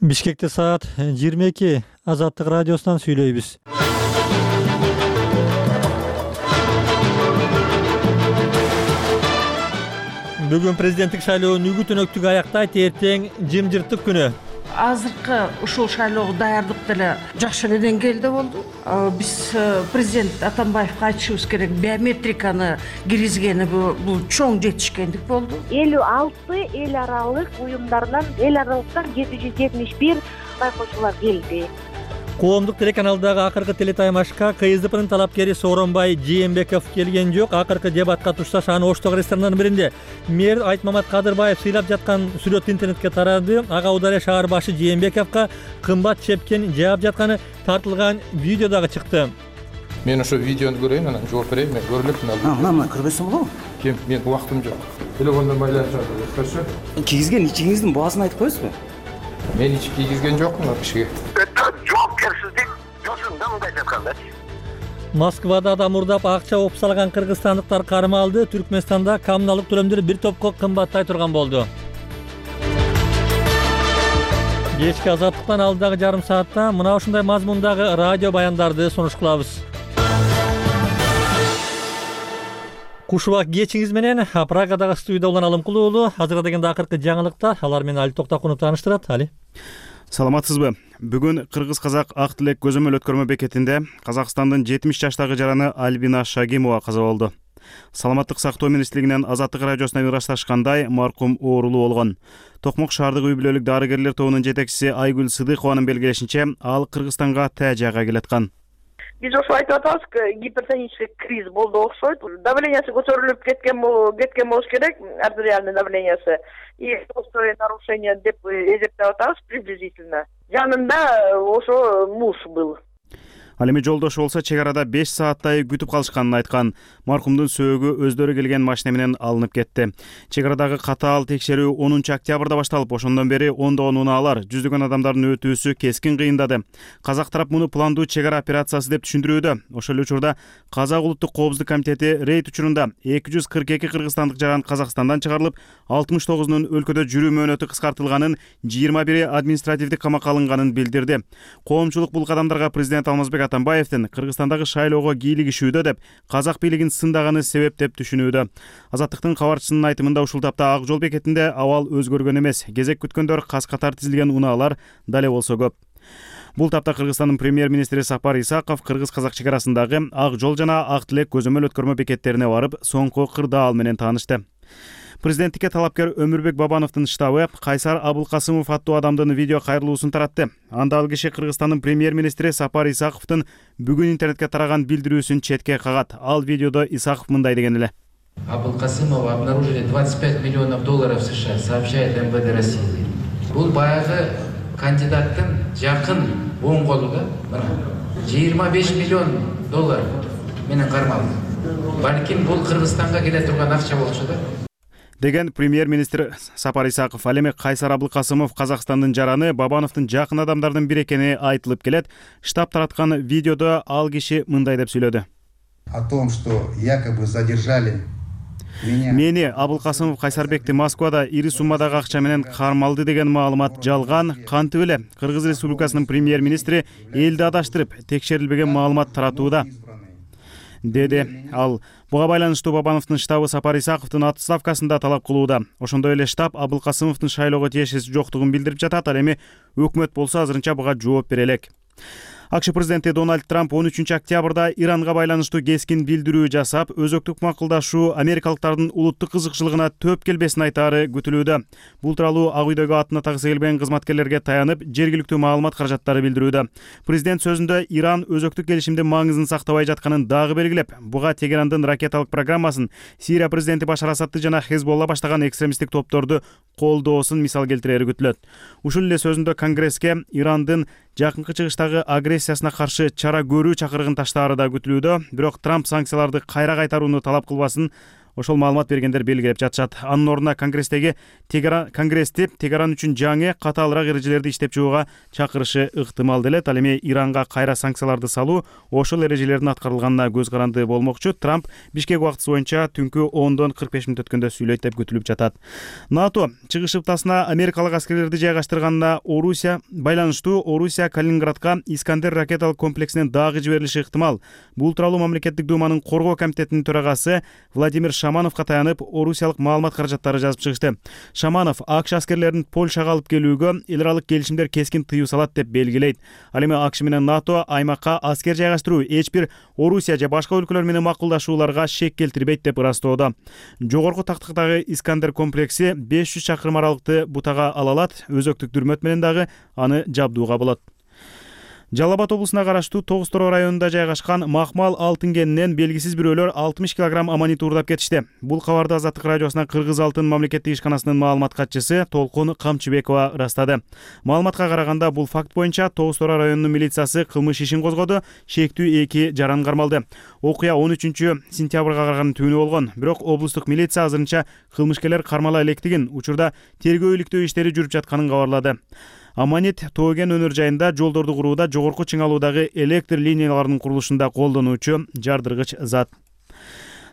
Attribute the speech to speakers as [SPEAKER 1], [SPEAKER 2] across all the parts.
[SPEAKER 1] Бишкекте саат 22 Азаттык радиосунан сүйлөйбүз. Бүгүн президенттик шайлоонун үгүт-өнөктүгү аяктайт, эртең жымжырттык күнү.
[SPEAKER 2] Азыркы ушул шайлоого даярдык деле жакшы деңгээлде болду. Биз президент Атамбаевга айтышыбыз керек, биометриканы киргизгени бул чоң жетишкендик болду.
[SPEAKER 3] 56 эл аралык уюмдардан 771 байкоочулар келди.
[SPEAKER 1] Коомдук телеканалдагы акыркы телетаймашка КСДПнын талапкери Сооронбай Жээнбеков келген жок. Акыркы дебатка тушташ аны Оштогу ресторандарынын биринде мэр Айтмамат Кадырбаев сыйлап жаткан сүрөт интернетке тарады. Ага Удария шаар башы Жээнбековго кымбат чепкен жаап жатканы тартылган видео дагы чыкты.
[SPEAKER 4] Мен ошо видеону көрөйүн, анан жооп берейин. Мен көрүп элем.
[SPEAKER 5] Мына кырбайсың болобу?
[SPEAKER 4] Кем, мен убактым жок. Телефондон байланып жатыр. Хорошо.
[SPEAKER 5] Кийгизген ичиңиздин баасын айтып коесузбу?
[SPEAKER 4] Мен ич кийгизген жокмун кишиге.
[SPEAKER 6] Жоопкерсиздик жосунда мындай жатканда.
[SPEAKER 1] Москвада адам урдап акча оп салган кыргызстандыктар кармалды. Түркмөнстанда коммуналдык төлөмдөр бир топко кымбаттай турган болду. Кечки Азаттыктан алдыдагы жарым саатта мына ушундай мазмундагы радио баяндарды сунуш кылабыз. Кушубак кечиңиз менен Прагадагы студияда улан Алымкулуу уулу. Азыркы дегенде акыркы жаңылыктар, алар менен Али Токтакунов тааныштырат. Али.
[SPEAKER 7] Саламатсызбы? Бүгүн кыргыз-казак ак тилек көзөмөл өткөрмө бекетинде Казакстандын 70 жаштагы жараны Альбина Шагимова каза болду. Саламаттык сактоо министрлигинен Азаттык радиосуна ырасташкандай, маркум оорулуу болгон. Токмок шаардык үй бүлөлүк дарыгерлер тобунун жетекчиси Айгүл Сыдыкованын белгилешинче, ал Кыргызстанга тажайга келаткан.
[SPEAKER 8] Биз ошо айтып атабыз, гипертонический криз болду окшойт. Давлениясы көтөрүлүп кеткен болуш керек, артериальный давлениясы. И острое нарушение деп эсептеп атабыз приблизительно. Жанында ошо муж был.
[SPEAKER 7] Ал эми жолдошу болсо чек арада 5 сааттай күтүп калышканын айткан. Маркумдун сөөгү өздөрү келген машина менен алынып кетти. Чек арадагы катаал текшерүү 10 октябрда башталып, ошондон бери ондогон унаалар, жүздөгөн адамдардын өтүүсү кескин кыйындады. Казак тарап муну пландуу чек ара операциясы деп түшүндүрүүдө. Ошол эле учурда Казак улуттук коопсуздук комитети рейд учурунда 242 кыргызстандык жаран Казакстандан чыгарылып, 69-нун өлкөдө жүрүү мөөнөтү кыскартылганын, 21 административдик камакка алынганын билдирди. Коомчулук бул кадамдарга президент Алмазбек Атамбаевдин Кыргызстандагы шайлоого кийлигишүүдө деп, казак бийлигин сындаганы себеп деп түшүнүүдө. Азаттыктын кабарчысынын айтымында ушул тапта Ак жол бекетинде абал өзгөргөн эмес. Кезек күткөндөр кас-катар тизилген унаалар дале болсо көп. Бул тапта Кыргызстандын премьер-министри Сапар Исаков кыргыз-казак чек арасындагы Ак жол жана Ак тилек көзөмөл өткөрмө бекеттерине барып, соңку кырдаал менен таанышты. Президенттикке талапкер Өмүрбек Бабановдун штабы Кайсар Абылкасымов аттуу адамдын видео кайрылуусун таратты. Анда ал киши Кыргызстандын премьер-министри Сапар Исаковдун бүгүн интернетке тараган билдирүүсүн четке кагат. Ал видеодо Исаков мындай деген эле.
[SPEAKER 9] Абылкасымова обнаружили $25 миллионов в США, сообщает МВД России. Бул баягы кандидаттын жакын оң колу да, мына $25 миллион менен кармалды. Балким бул Кыргызстанга келе турган акча болчу да.
[SPEAKER 7] Деген премьер-министр Сапар Исаков. Ал эми Кайсар Абылкасымов Казакстандын жараны Бабановдун жакын адамдардын бири экени айтылып келет. Штаб тараткан видеодо ал киши мындай деп сүйлөдү.
[SPEAKER 10] О том, что якобы задержали
[SPEAKER 7] Мени Абылкасымов Кайсарбекти Москвада ири суммадагы акча менен кармалды деген маалымат жалган. Кантип эле Кыргыз Республикасынын премьер-министри элди адаштырып, текшерилбеген маалымат таратууда, деди ал. Буга байланыштуу Бабановдун штабы Сапар Исаковдун отставкасында талап кылууда. Ошондой эле штаб Абылкасымовдун шайлоого тиешеси жоктугун билдирип жатат. Ал эми өкмөт болсо азырынча буга жооп бере элек. АКШ президенти Дональд Трамп 13 октябрда Иранга байланыштуу кескин билдирүү жасап, өзөктүк макулдашуу америкалыктардын улуттук кызыкчылыгына төп келбесин айтаары күтүлүүдө. Бул тууралуу Ак үйдөгү атына тагысы келбеген кызматкерлерге таянып, жергиликтүү маалымат каражаттары билдирүүдө. Президент сөзүндө Иран өзөктүк келишимдин маңызын сактабай жатканын дагы белгилеп, буга Тегерандын ракеталык программасын, Сирия президенти Башар Асадты жана Хезболла баштаган экстремисттик топторду колдоосун мисал келтирери күтүлөт. Ушул эле сөзүндө Конгресске Ирандын жакынкы чыгыштагы агрессиясына каршы чара көрүү чакырыгын таштаары да күтүлүүдө. Бирок Трамп санкцияларды кайра кайтарууну талап кылбасын. ошол маалымат бергендер белгилеп жатышат. Анын ордуна Конгресsti Тегеран үчүн жаңы катаалыраак эрежелерди иштеп чыгууга чакырышы ыктымал делет. Ал эми Иранга кайра санкцияларды салуу ошол эрежелердин аткарылганына көз каранды болмокчу. Трамп Бишкек убактысы боюнча түнкү 10-45 мүнөт өткөндө сүйлөйт деп күтүлүп жатат. НАТО чыгыш ыптасына америкалык аскерлерди жайгаштырганына байланыштуу Орусия Калининградка Искандер ракеталык комплексинин дагы жиберилиши ыктымал. Бул тууралуу мамлекеттик думанын коргоо комитетинин төрагасы Владимир Шамановго таянып, орусиялык маалымат каражаттары жазып чыгышты. Шаманов АКШ аскерлерин Польшага алып келүүгө эл аралык келишимдер кескин тыюу салат деп белгилейт. Ал эми АКШ менен НАТО аймакка аскер жайгаштыруу эч бир Орусия же башка өлкөлөр менен макулдашууларга шек келтирбейт деп ырастоодо. Жогорку тактыктагы Искандер комплекси 500 чакырым аралыкты бутага ала алат. Өзөктүк дүрмөт менен дагы аны жабдууга болот. Жалал Абад облусуна караштуу Тогуз Тороо районунда жайгашкан Махмал алтын кенинен белгисиз бирөөлөр 60 кг аммонит уурдап кетишти. Бул кабарды Азаттык радиосуна Кыргыз алтын мамлекеттик ишканасынын маалымат катчысы Толкун Камчыбекова ырастады. Маалыматка караганда, бул факт боюнча Тогуз Тороо районунун милициясы кылмыш ишин козгоду, шектүү 2 жаран кармалды. Окуя 13-сентябрга караган түнү болгон. Бирок облустук милиция азырынча кылмышкерлер кармала электигин, учурда тергөө-иликтөө иштери жүрүп жатканын кабарлады. Аммонит Тооген өнөр жайында жолдорду курууда жогорку чыңалуудагы электр линияларынын курулушунда колдонуучу жардыргыч зат.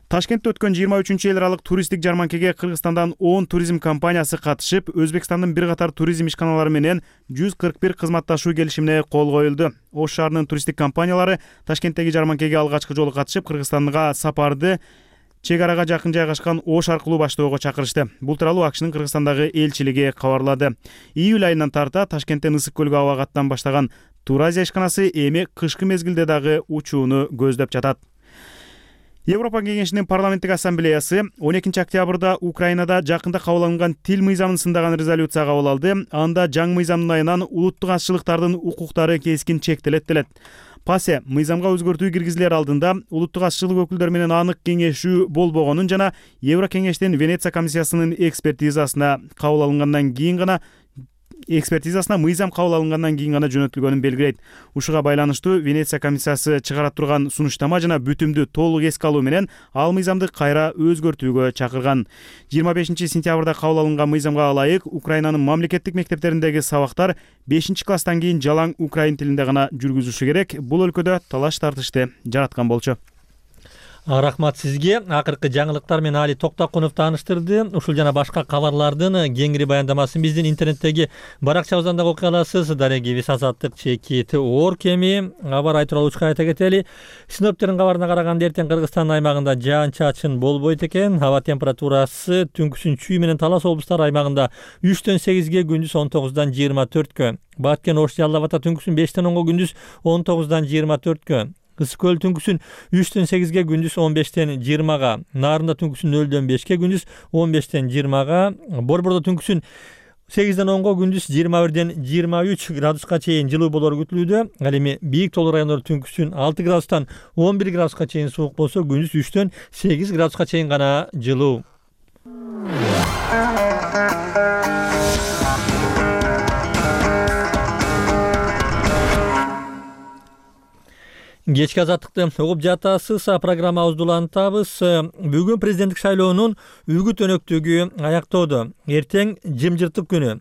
[SPEAKER 7] Ташкентте өткөн 23-эл аралык туристтик жарманкеге Кыргызстандан 10 туризм компаниясы катышып, Өзбекстандын бир катар туризм ишканалары менен 141 кызматташуу келишимине кол коюлду. Ош шаарынын туристтик компаниялары Ташкенттеги жарманкеге алгачкы жолу катышып, Кыргызстанга сапарды чек арага жакын жайгашкан Ош аркылуу баштоого чакырышты. Бул тууралуу АКШнын Кыргызстандагы элчилиги кабарлады. Июль айынан тарта Ташкенттен Ысык көлгө аба каттан баштаган Туразия ишканасы эми кышкы мезгилде дагы учууну көздөп жатат. Европа кеңешинин парламенттик ассамблеясы 12 октябрда Украинада жакында кабыл алынган тил мыйзамын сындаган резолюция кабыл алды. Анда жаңы мыйзамдын айынан улуттук азчылыктардын укуктары кескин чектелет делет. ПАСЕ мыйзамга өзгөртүү киргизилер алдында улуттук азчылык өкүлдөрү менен анык кеңешүү болбогонун жана Евро кеңештин Венеция комиссиясынын экспертизасына мыйзам кабыл алынгандан кийин гана жөнөтүлгөнүн белгилейт. Ушуга байланыштуу Венеция комиссиясы чыгара турган сунуштама жана бүтүмдү толук эске алуу менен ал мыйзамды кайра өзгөртүүгө чакырган. 25-сентябрда кабыл алынган мыйзамга ылайык Украинанын мамлекеттик мектептериндеги сабактар 5-класстан кийин жалаң украин тилинде гана жүргүзүлүшү керек. Бул өлкөдө талаш тартышты жараткан болчу.
[SPEAKER 1] Рахмат сизге. Акыркы жаңылыктар менен Али Токтокунов тааныштырды. Ушул жана башка кабарлардын кеңири баяндамасын биздин интернеттеги баракчабыздан дагы окуй аласыз. Дарегибиз Азаттык ЧК Оркеми кабар айтуулучка айта кетели. Синоптиктердин кабарына караганда эртең Кыргызстан аймагында жаан-чачын болбойт экен. Аба температурасы түнкүсүн Чүй менен Талас облустары аймагында 3-төн 8ге, күндүз 19-дан 24-кө. Баткен, Ош, Жалал Абадта түнкүсүн 5-тен 10-га, күндүз 19-дан 24-кө. Ысык көл түнкүсүн 3-төн 8-ге, күндүз 15-тен 20-га. Нарында түнкүсүн 0-дөн 5-ке, күндүз 15-тен 20-га. Борбордо түнкүсүн 8-ден 10-га, күндүз 21-ден 23 градуска чейин жылуу болору күтүлүүдө. Ал эми бийик тоолуу райондор түнкүсүн 6 градустан 11 градуска чейин суук болсо, күндүз 3-төн 8 градуска чейин гана жылуу. Кечки Азаттыкты угуп жатасыз. Программабызды улантабыз. Бүгүн президенттик шайлоонун үгүт өнөктүгү аяктоодо. Эртең жымжыртык күнү.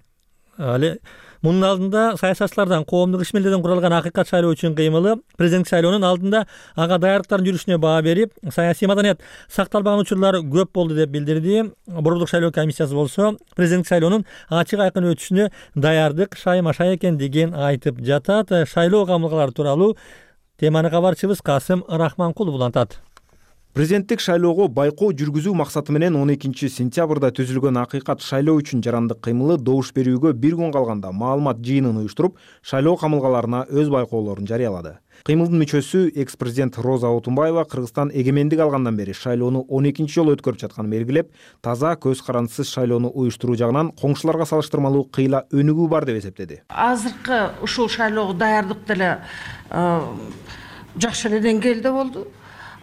[SPEAKER 1] Мунун алдында саясатчылардан коомдук ишмердерден куралган акыйкат шайлоо үчүн кыймылы. Президенттик шайлоонун алдында ага даярдыктардын жүрүшүнө баа берип, саясий маданият сакталбаган учурлар көп болду деп билдирди. Борбордук шайлоо комиссиясы болсо президенттик шайлоонун ачык айкын өтүшүнө даярдык шайма-шай экендигин айтып жатат. Шайлоо камылгалары тууралуу теманы кабарчыбыз Касым Рахманкулов улантат.
[SPEAKER 11] Президенттик шайлоого байкоо жүргүзүү максаты менен 12-сентябрда түзүлгөн акыйкат шайлоо үчүн жарандык кыймылы добуш берүүгө бир күн калганда маалымат жыйынын уюштуруп, шайлоо камылгаларына өз байкоолорун жарыялады. Кыймылдын мүчөсү экс-президент Роза Отунбаева Кыргызстан эгемендик алгандан бери шайлоону 12-чи жолу өткөрүп жатканын белгилеп, таза көз карандысыз шайлоону уюштуруу жагынан коңшуларга салыштырмалуу кыйла өнүгүү бар деп эсептеди.
[SPEAKER 2] Азыркы ушул шайлоого даярдык деле жакшы эле деңгээлде болду.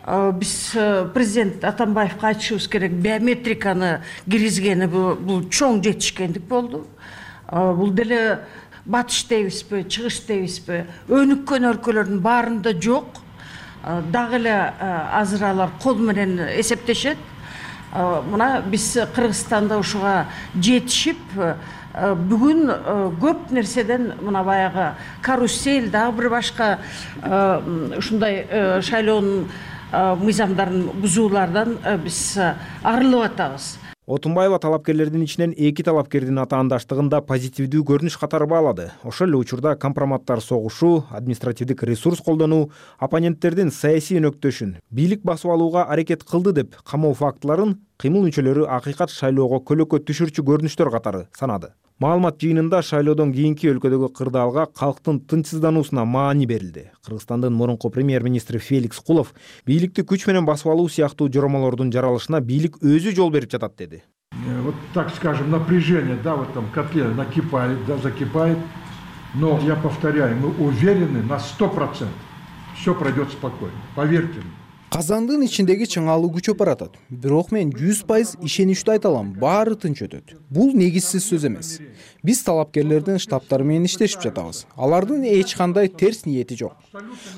[SPEAKER 2] Биз президент Атамбаевга айтышыбыз керек, биометриканы киргизгени бул чоң жетишкендик болду. Бул деле батыш дейбизби, чыгыш дейбизби, өнүккөн өлкөлөрдүн баарында жок. Дагы эле азыр алар кол менен эсептешет. Мына биз Кыргызстанда ушуга жетишип бүгүн көп нерседен мына баягы карусель дагы бир башка ушундай шайлоонун мыйзамдарын бузуулардан биз арылып атабыз.
[SPEAKER 11] Отунбаева талапкерлердин ичинен 2 талапкердин атаандаштыгында позитивдүү көрүнүш катары баалады. Ошол эле учурда компроматтар согушу, административдик ресурс колдонуу, оппоненттердин саясий өнөктөшүн бийлик басып алууга аракет кылды деп камоо фактыларын кыймыл мүчөлөрү акыйкат шайлоого көлөкө түшүрчү көрүнүштөр катары санады. Маалымат жыйынында шайлоодон кийинки өлкөдөгү кырдаалга калктын тынчсыздануусуна маани берилди. Кыргызстандын мурунку премьер-министри Феликс Кулов бийликти күч менен басып алуу сыяктуу жоромолордун жаралышына бийлик өзү жол берип жатат деди.
[SPEAKER 12] Вот так скажем, напряжение, да, в этом котле накипает, да, закипает. Но я повторяю, мы уверены на 100%. Все пройдет спокойно. Поверьте мне.
[SPEAKER 13] Казандын ичиндеги чыңалуу күчөп баратат. Бирок мен 100% ишеничтүү айта алам, баары тынч өтөт. Бул негизсиз сөз эмес. Биз талапкерлердин штабтары менен иштешип жатабыз. Алардын эч кандай терс ниети жок.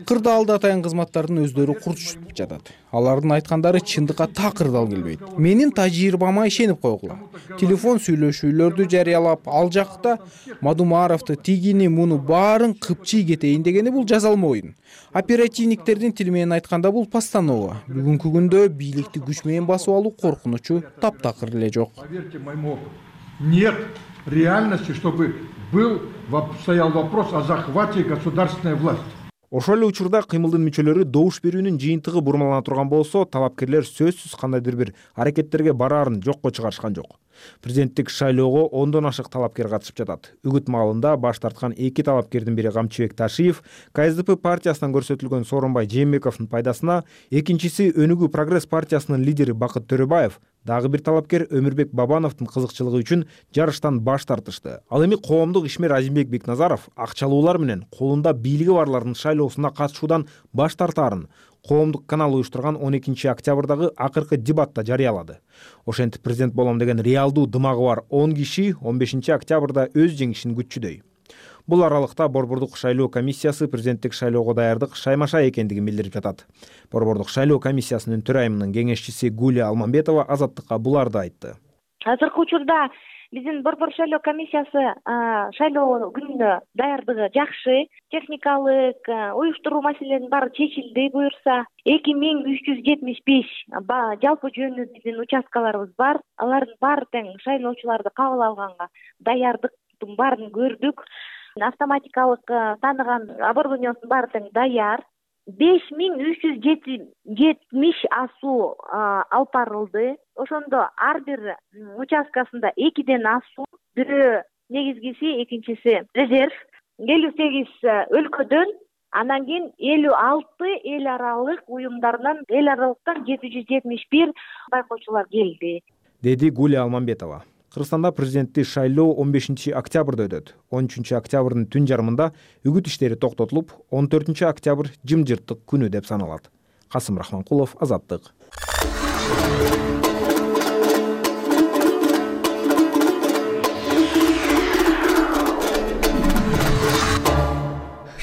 [SPEAKER 13] Кырдаалда атайын кызматтардын өздөрү курчуп жатат. Алардын айткандары чындыкка такыр дал келбейт. Менин тажрыйбама ишенип койгула. Телефон сүйлөшүүлөрдү жарыялап, ал жакта Мадумаровду, тигини, муну баарын кыпчый кетейин дегени бул жазалма оюн. Оперативниктердин тили менен айтканда бул постанова. Бүгүнкү күндө бийликти күч менен басып алуу коркунучу таптакыр эле жок.
[SPEAKER 12] Поверьте моему опыту, нет реальности, чтобы стоял вопрос о захвате государственной власти.
[SPEAKER 11] Ошол эле учурда кыймылдын мүчөлөрү добуш берүүнүн жыйынтыгы бурмалана турган болсо, талапкерлер сөзсүз кандайдыр бир аракеттерге бараарын жокко чыгарышкан жок. Президенттик шайлоого 10дон ашык талапкер катышып жатат. Үгүт маалында баш тарткан 2 талапкердин бири Камчыбек Ташиев, КСДП партиясынан көрсөтүлгөн Сооронбай Жээнбековдун пайдасына, экинчиси Өнүгүү Прогресс партиясынын лидери Бакыт Төрөбаев, дагы бир талапкер Өмүрбек Бабановдун кызыкчылыгы үчүн жарыштан баш тартышты. Ал эми коомдук ишмер Азимбек Бекназаров акчалуулар менен колунда бийлиги барлардын шайлоосуна катышуудан баш тартаарын коомдук канал уюштурган 12 октябрдагы акыркы дебатта жарыялады. Ошентип президент болом деген реалдуу дымагы бар 10 киши 15 октябрда өз жеңишин күтчүдөй. Бул аралыкта Борбордук шайлоо комиссиясы президенттик шайлоого даярдык шаймаша экендигин билдирип жатат. Борбордук шайлоо комиссиясынын төрайымынын кеңешчиси Гулия Алмамбетова Азаттыкка буларды айтты.
[SPEAKER 3] Азыркы учурда биздин Борбор шайлоо комиссиясы шайлоо күнүнө даярдыгы жакшы, техникалык, уюштуруу маселелеринин баары чечилди буюрса. 2375 жалпы жөнү биздин участкаларыбыз бар. Алардын баары тең шайлоочуларды кабыл алганга даярдыктын баарын көрдүк. Автоматикалык тааныган оборудованиесинин баары тең даяр. 5370 асуу алып барылды. Ошондо ар бир участкасында 2ден асуу, бирөө негизгиси, экинчиси резерв. 58 өлкөдөн, анан кийин 56 эл аралык уюмдардан, эл аралыктан 771 байкоочулар келди,
[SPEAKER 11] деди Гулия Алмамбетова. Кыргызстанда президенттик шайлоо 15 октябрда өтөт. 13 октябрдын түн жарымында үгүт иштери токтотулуп, 14 октябрь жымжырттык күнү деп саналат. Касым Рахманкулов, Азаттык.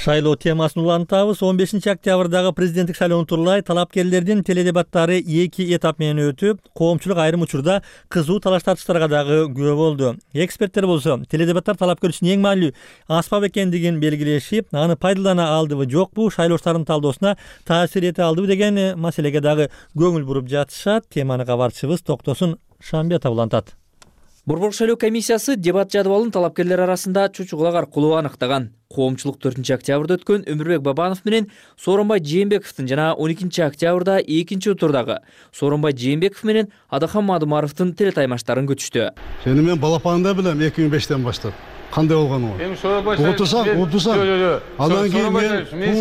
[SPEAKER 1] Шайлоо темасын улантабыз. 15 октябрдагы президенттик шайлоонун турлай талапкерлердин теледебаттары 2 этап менен өтүп, коомчулук айрым учурда кызуу талаш тартыштарга дагы күбө болду. Эксперттер болсо, теледебаттар талапкер үчүн эң маанилүү аспап экендигин белгилешип, аны пайдалана алдыбы, жокпу, шайлоочулардын талдоосуна таасир эте алдыбы деген маселеге дагы көңүл буруп жатышат. Теманы кабарчыбыз Токтосун Шамбетов улантат.
[SPEAKER 14] Борбор шайлоо комиссиясы дебат жадыбалын талапкерлер арасында чучугулак аркылуу аныктаган. Коомчулук 4 октябрда өткөн Өмүрбек Бабанов менен Сооронбай Жээнбековдун жана 12 октябрда экинчи турдагы Сооронбай Жээнбеков менен Адахан Мадумаровдун телетаймаштарын күтүштү.
[SPEAKER 15] Сени мен балапанында билем 2005-тен баштап. Кандай болгонун?
[SPEAKER 16] Эми Сооронбай
[SPEAKER 15] Отурсаң. Анан кийин
[SPEAKER 16] мен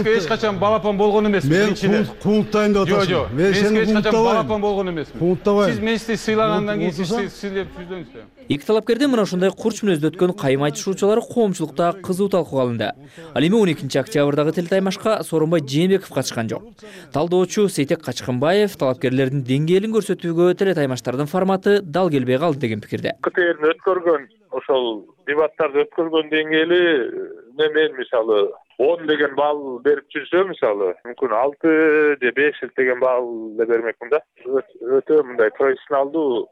[SPEAKER 16] эч качан балапан болгон эмесмин.
[SPEAKER 15] Мен кунуттайын деп атасың.
[SPEAKER 16] Мен сени эч качан балапан болгон эмесмин.
[SPEAKER 15] Кунуттабайм.
[SPEAKER 16] Сиз мени сыйлагандан кийин сиз сийлеп жүздүңүз.
[SPEAKER 14] Эки талапкердин мына ушундай курч мүнөздө өткөн кайым айтышуучулары коомчулукта кызуу талкууга алынды. Ал эми 12 октябрдагы телетаймашка Сооронбай Жээнбеков катышкан жок. Талдоочу Сейтек Качкынбаев талапкерлердин деңгээлин көрсөтүүгө телетаймаштардын форматы дал келбей калды деген пикирде.
[SPEAKER 17] КТРдин өткөргөн ошол дебаттарды өткөргөн деңгээли мен мисалы 10 деген балл берип жүрсө, мисалы, мүмкүн 6 же 5 деген балл да бермекмин да. Өтө мындай профессионалдуу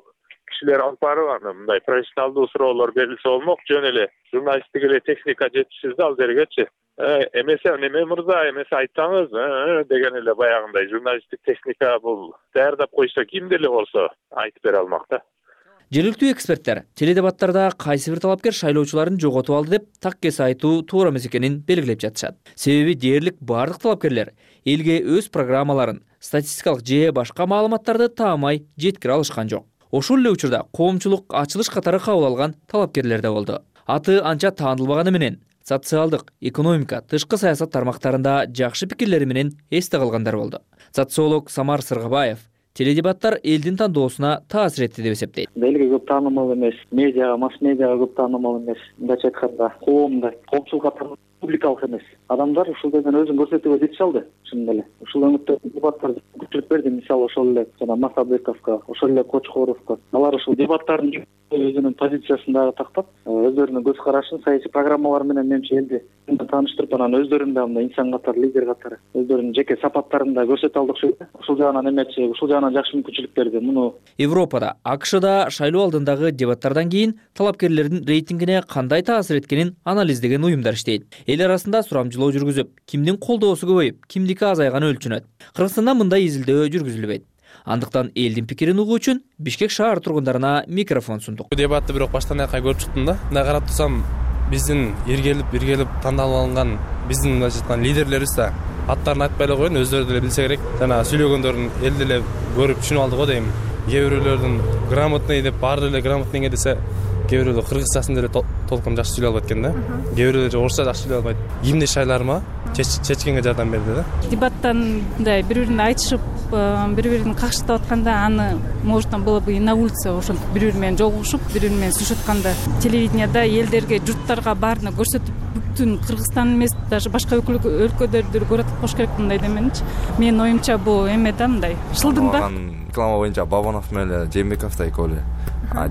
[SPEAKER 17] кишилер алып барып, аны мындай профессионалдуу суроолор берилсе болмок. Жөн эле журналисттик эле техника жетишсиз да ал жергечи. Эмесе неме мырза, эмесе айтсаңыз, деген эле баягындай журналисттик техника бул даярдап койсо ким деле болсо айтып бере алмак да.
[SPEAKER 14] Жергиликтүү эксперттер теледебаттарда кайсы бир талапкер шайлоочуларын жоготуп алды деп так кесе айтуу туура эмес экенин белгилеп жатышат. Себеби дээрлик бардык талапкерлер элге өз программаларын, статистикалык же башка маалыматтарды таамай жеткире алышкан жок. Ошол эле учурда коомчулук ачылыш катары кабыл алган талапкерлер да болду. Аты анча таанылбаганы менен социалдык, экономика, тышкы саясат тармактарында жакшы пикирлери менен эсте калгандар болду. Социолог Самар Сыргабаев теледебаттар элдин тандоосуна таасир этти деп эсептейт.
[SPEAKER 18] Элге көп таанымал эмес, медиага, масс-медиага көп таанымал эмес. Мындайча айтканда, коомчулук катары публикалык эмес. Адамдар ушул жерден өзүн көрсөтүүгө жетише алды, чын эле. Ушул өңүттө дебаттар күчүлүп берди, мисалы ошол эле жана Масабековго, ошол эле Кочкоровго. Алар ушул дебаттардын өзүнүн позициясын дагы тактап, өздөрүнүн көз карашын, саясий программалары менен менимче элди тааныштырып, анан өздөрүн да мындай инсан катары, лидер катары, өздөрүнүн жеке сапаттарын да көрсөтө алды окшойт. Ушул жагынан эмечи, ушул жагынан жакшы мүмкүнчүлүк берди. Муну
[SPEAKER 14] Европада, АКШда шайлоо алдындагы дебаттардан кийин талапкерлердин рейтингине кандай таасир эткенин анализдеген уюмдар иштейт. Эл арасында сурамжылоо жүргүзүп, кимдин колдоосу көбөйүп, кимдики азайганы өлчөнөт. Кыргызстанда мындай изилдөө жүргүзүлбөйт. Андыктан элдин пикирин угуу үчүн Бишкек шаар тургундарына микрофон сундук.
[SPEAKER 19] Дебатты бирок баштан аякка көрүп чыктым да. Мындай карап турсам, биздин иргелип тандалып алынган биздин мындайча айтканда лидерлерибиз да аттарын айтпай эле коеюн, өздөрү деле билсе керек. Жана сүйлөгөндөрүн эл деле көрүп түшүнүп алды го дейм. Кээ бирөөлөрдүн грамотный деп баары эле грамотныйге десе, кээ бирөөлөр кыргызчасын деле толком жакшы сүйлөй албайт экен да. Кээ бирөөлөр орусча жакшы сүйлөй албайт. Кимди шайларыма чечкенге жардам берди да.
[SPEAKER 20] Дебаттан мындай бири-бирин айтышып, бири-бирин какшытып атканда аны можно было бы и на улице ошентип бири-бири менен жолугушуп, бири-бири менен сүйлөшүп атканда телевиденияда элдерге, журттарга баарына көрсөтүп, бүтүн Кыргызстан эмес, даже башка өлкөлөрдү көрөтүп коюш керек мындай деменичи. Менин оюмча бул эме да мындай шылдың да.
[SPEAKER 21] Реклама боюнча Бабанов менен Жээнбеков да экөө эле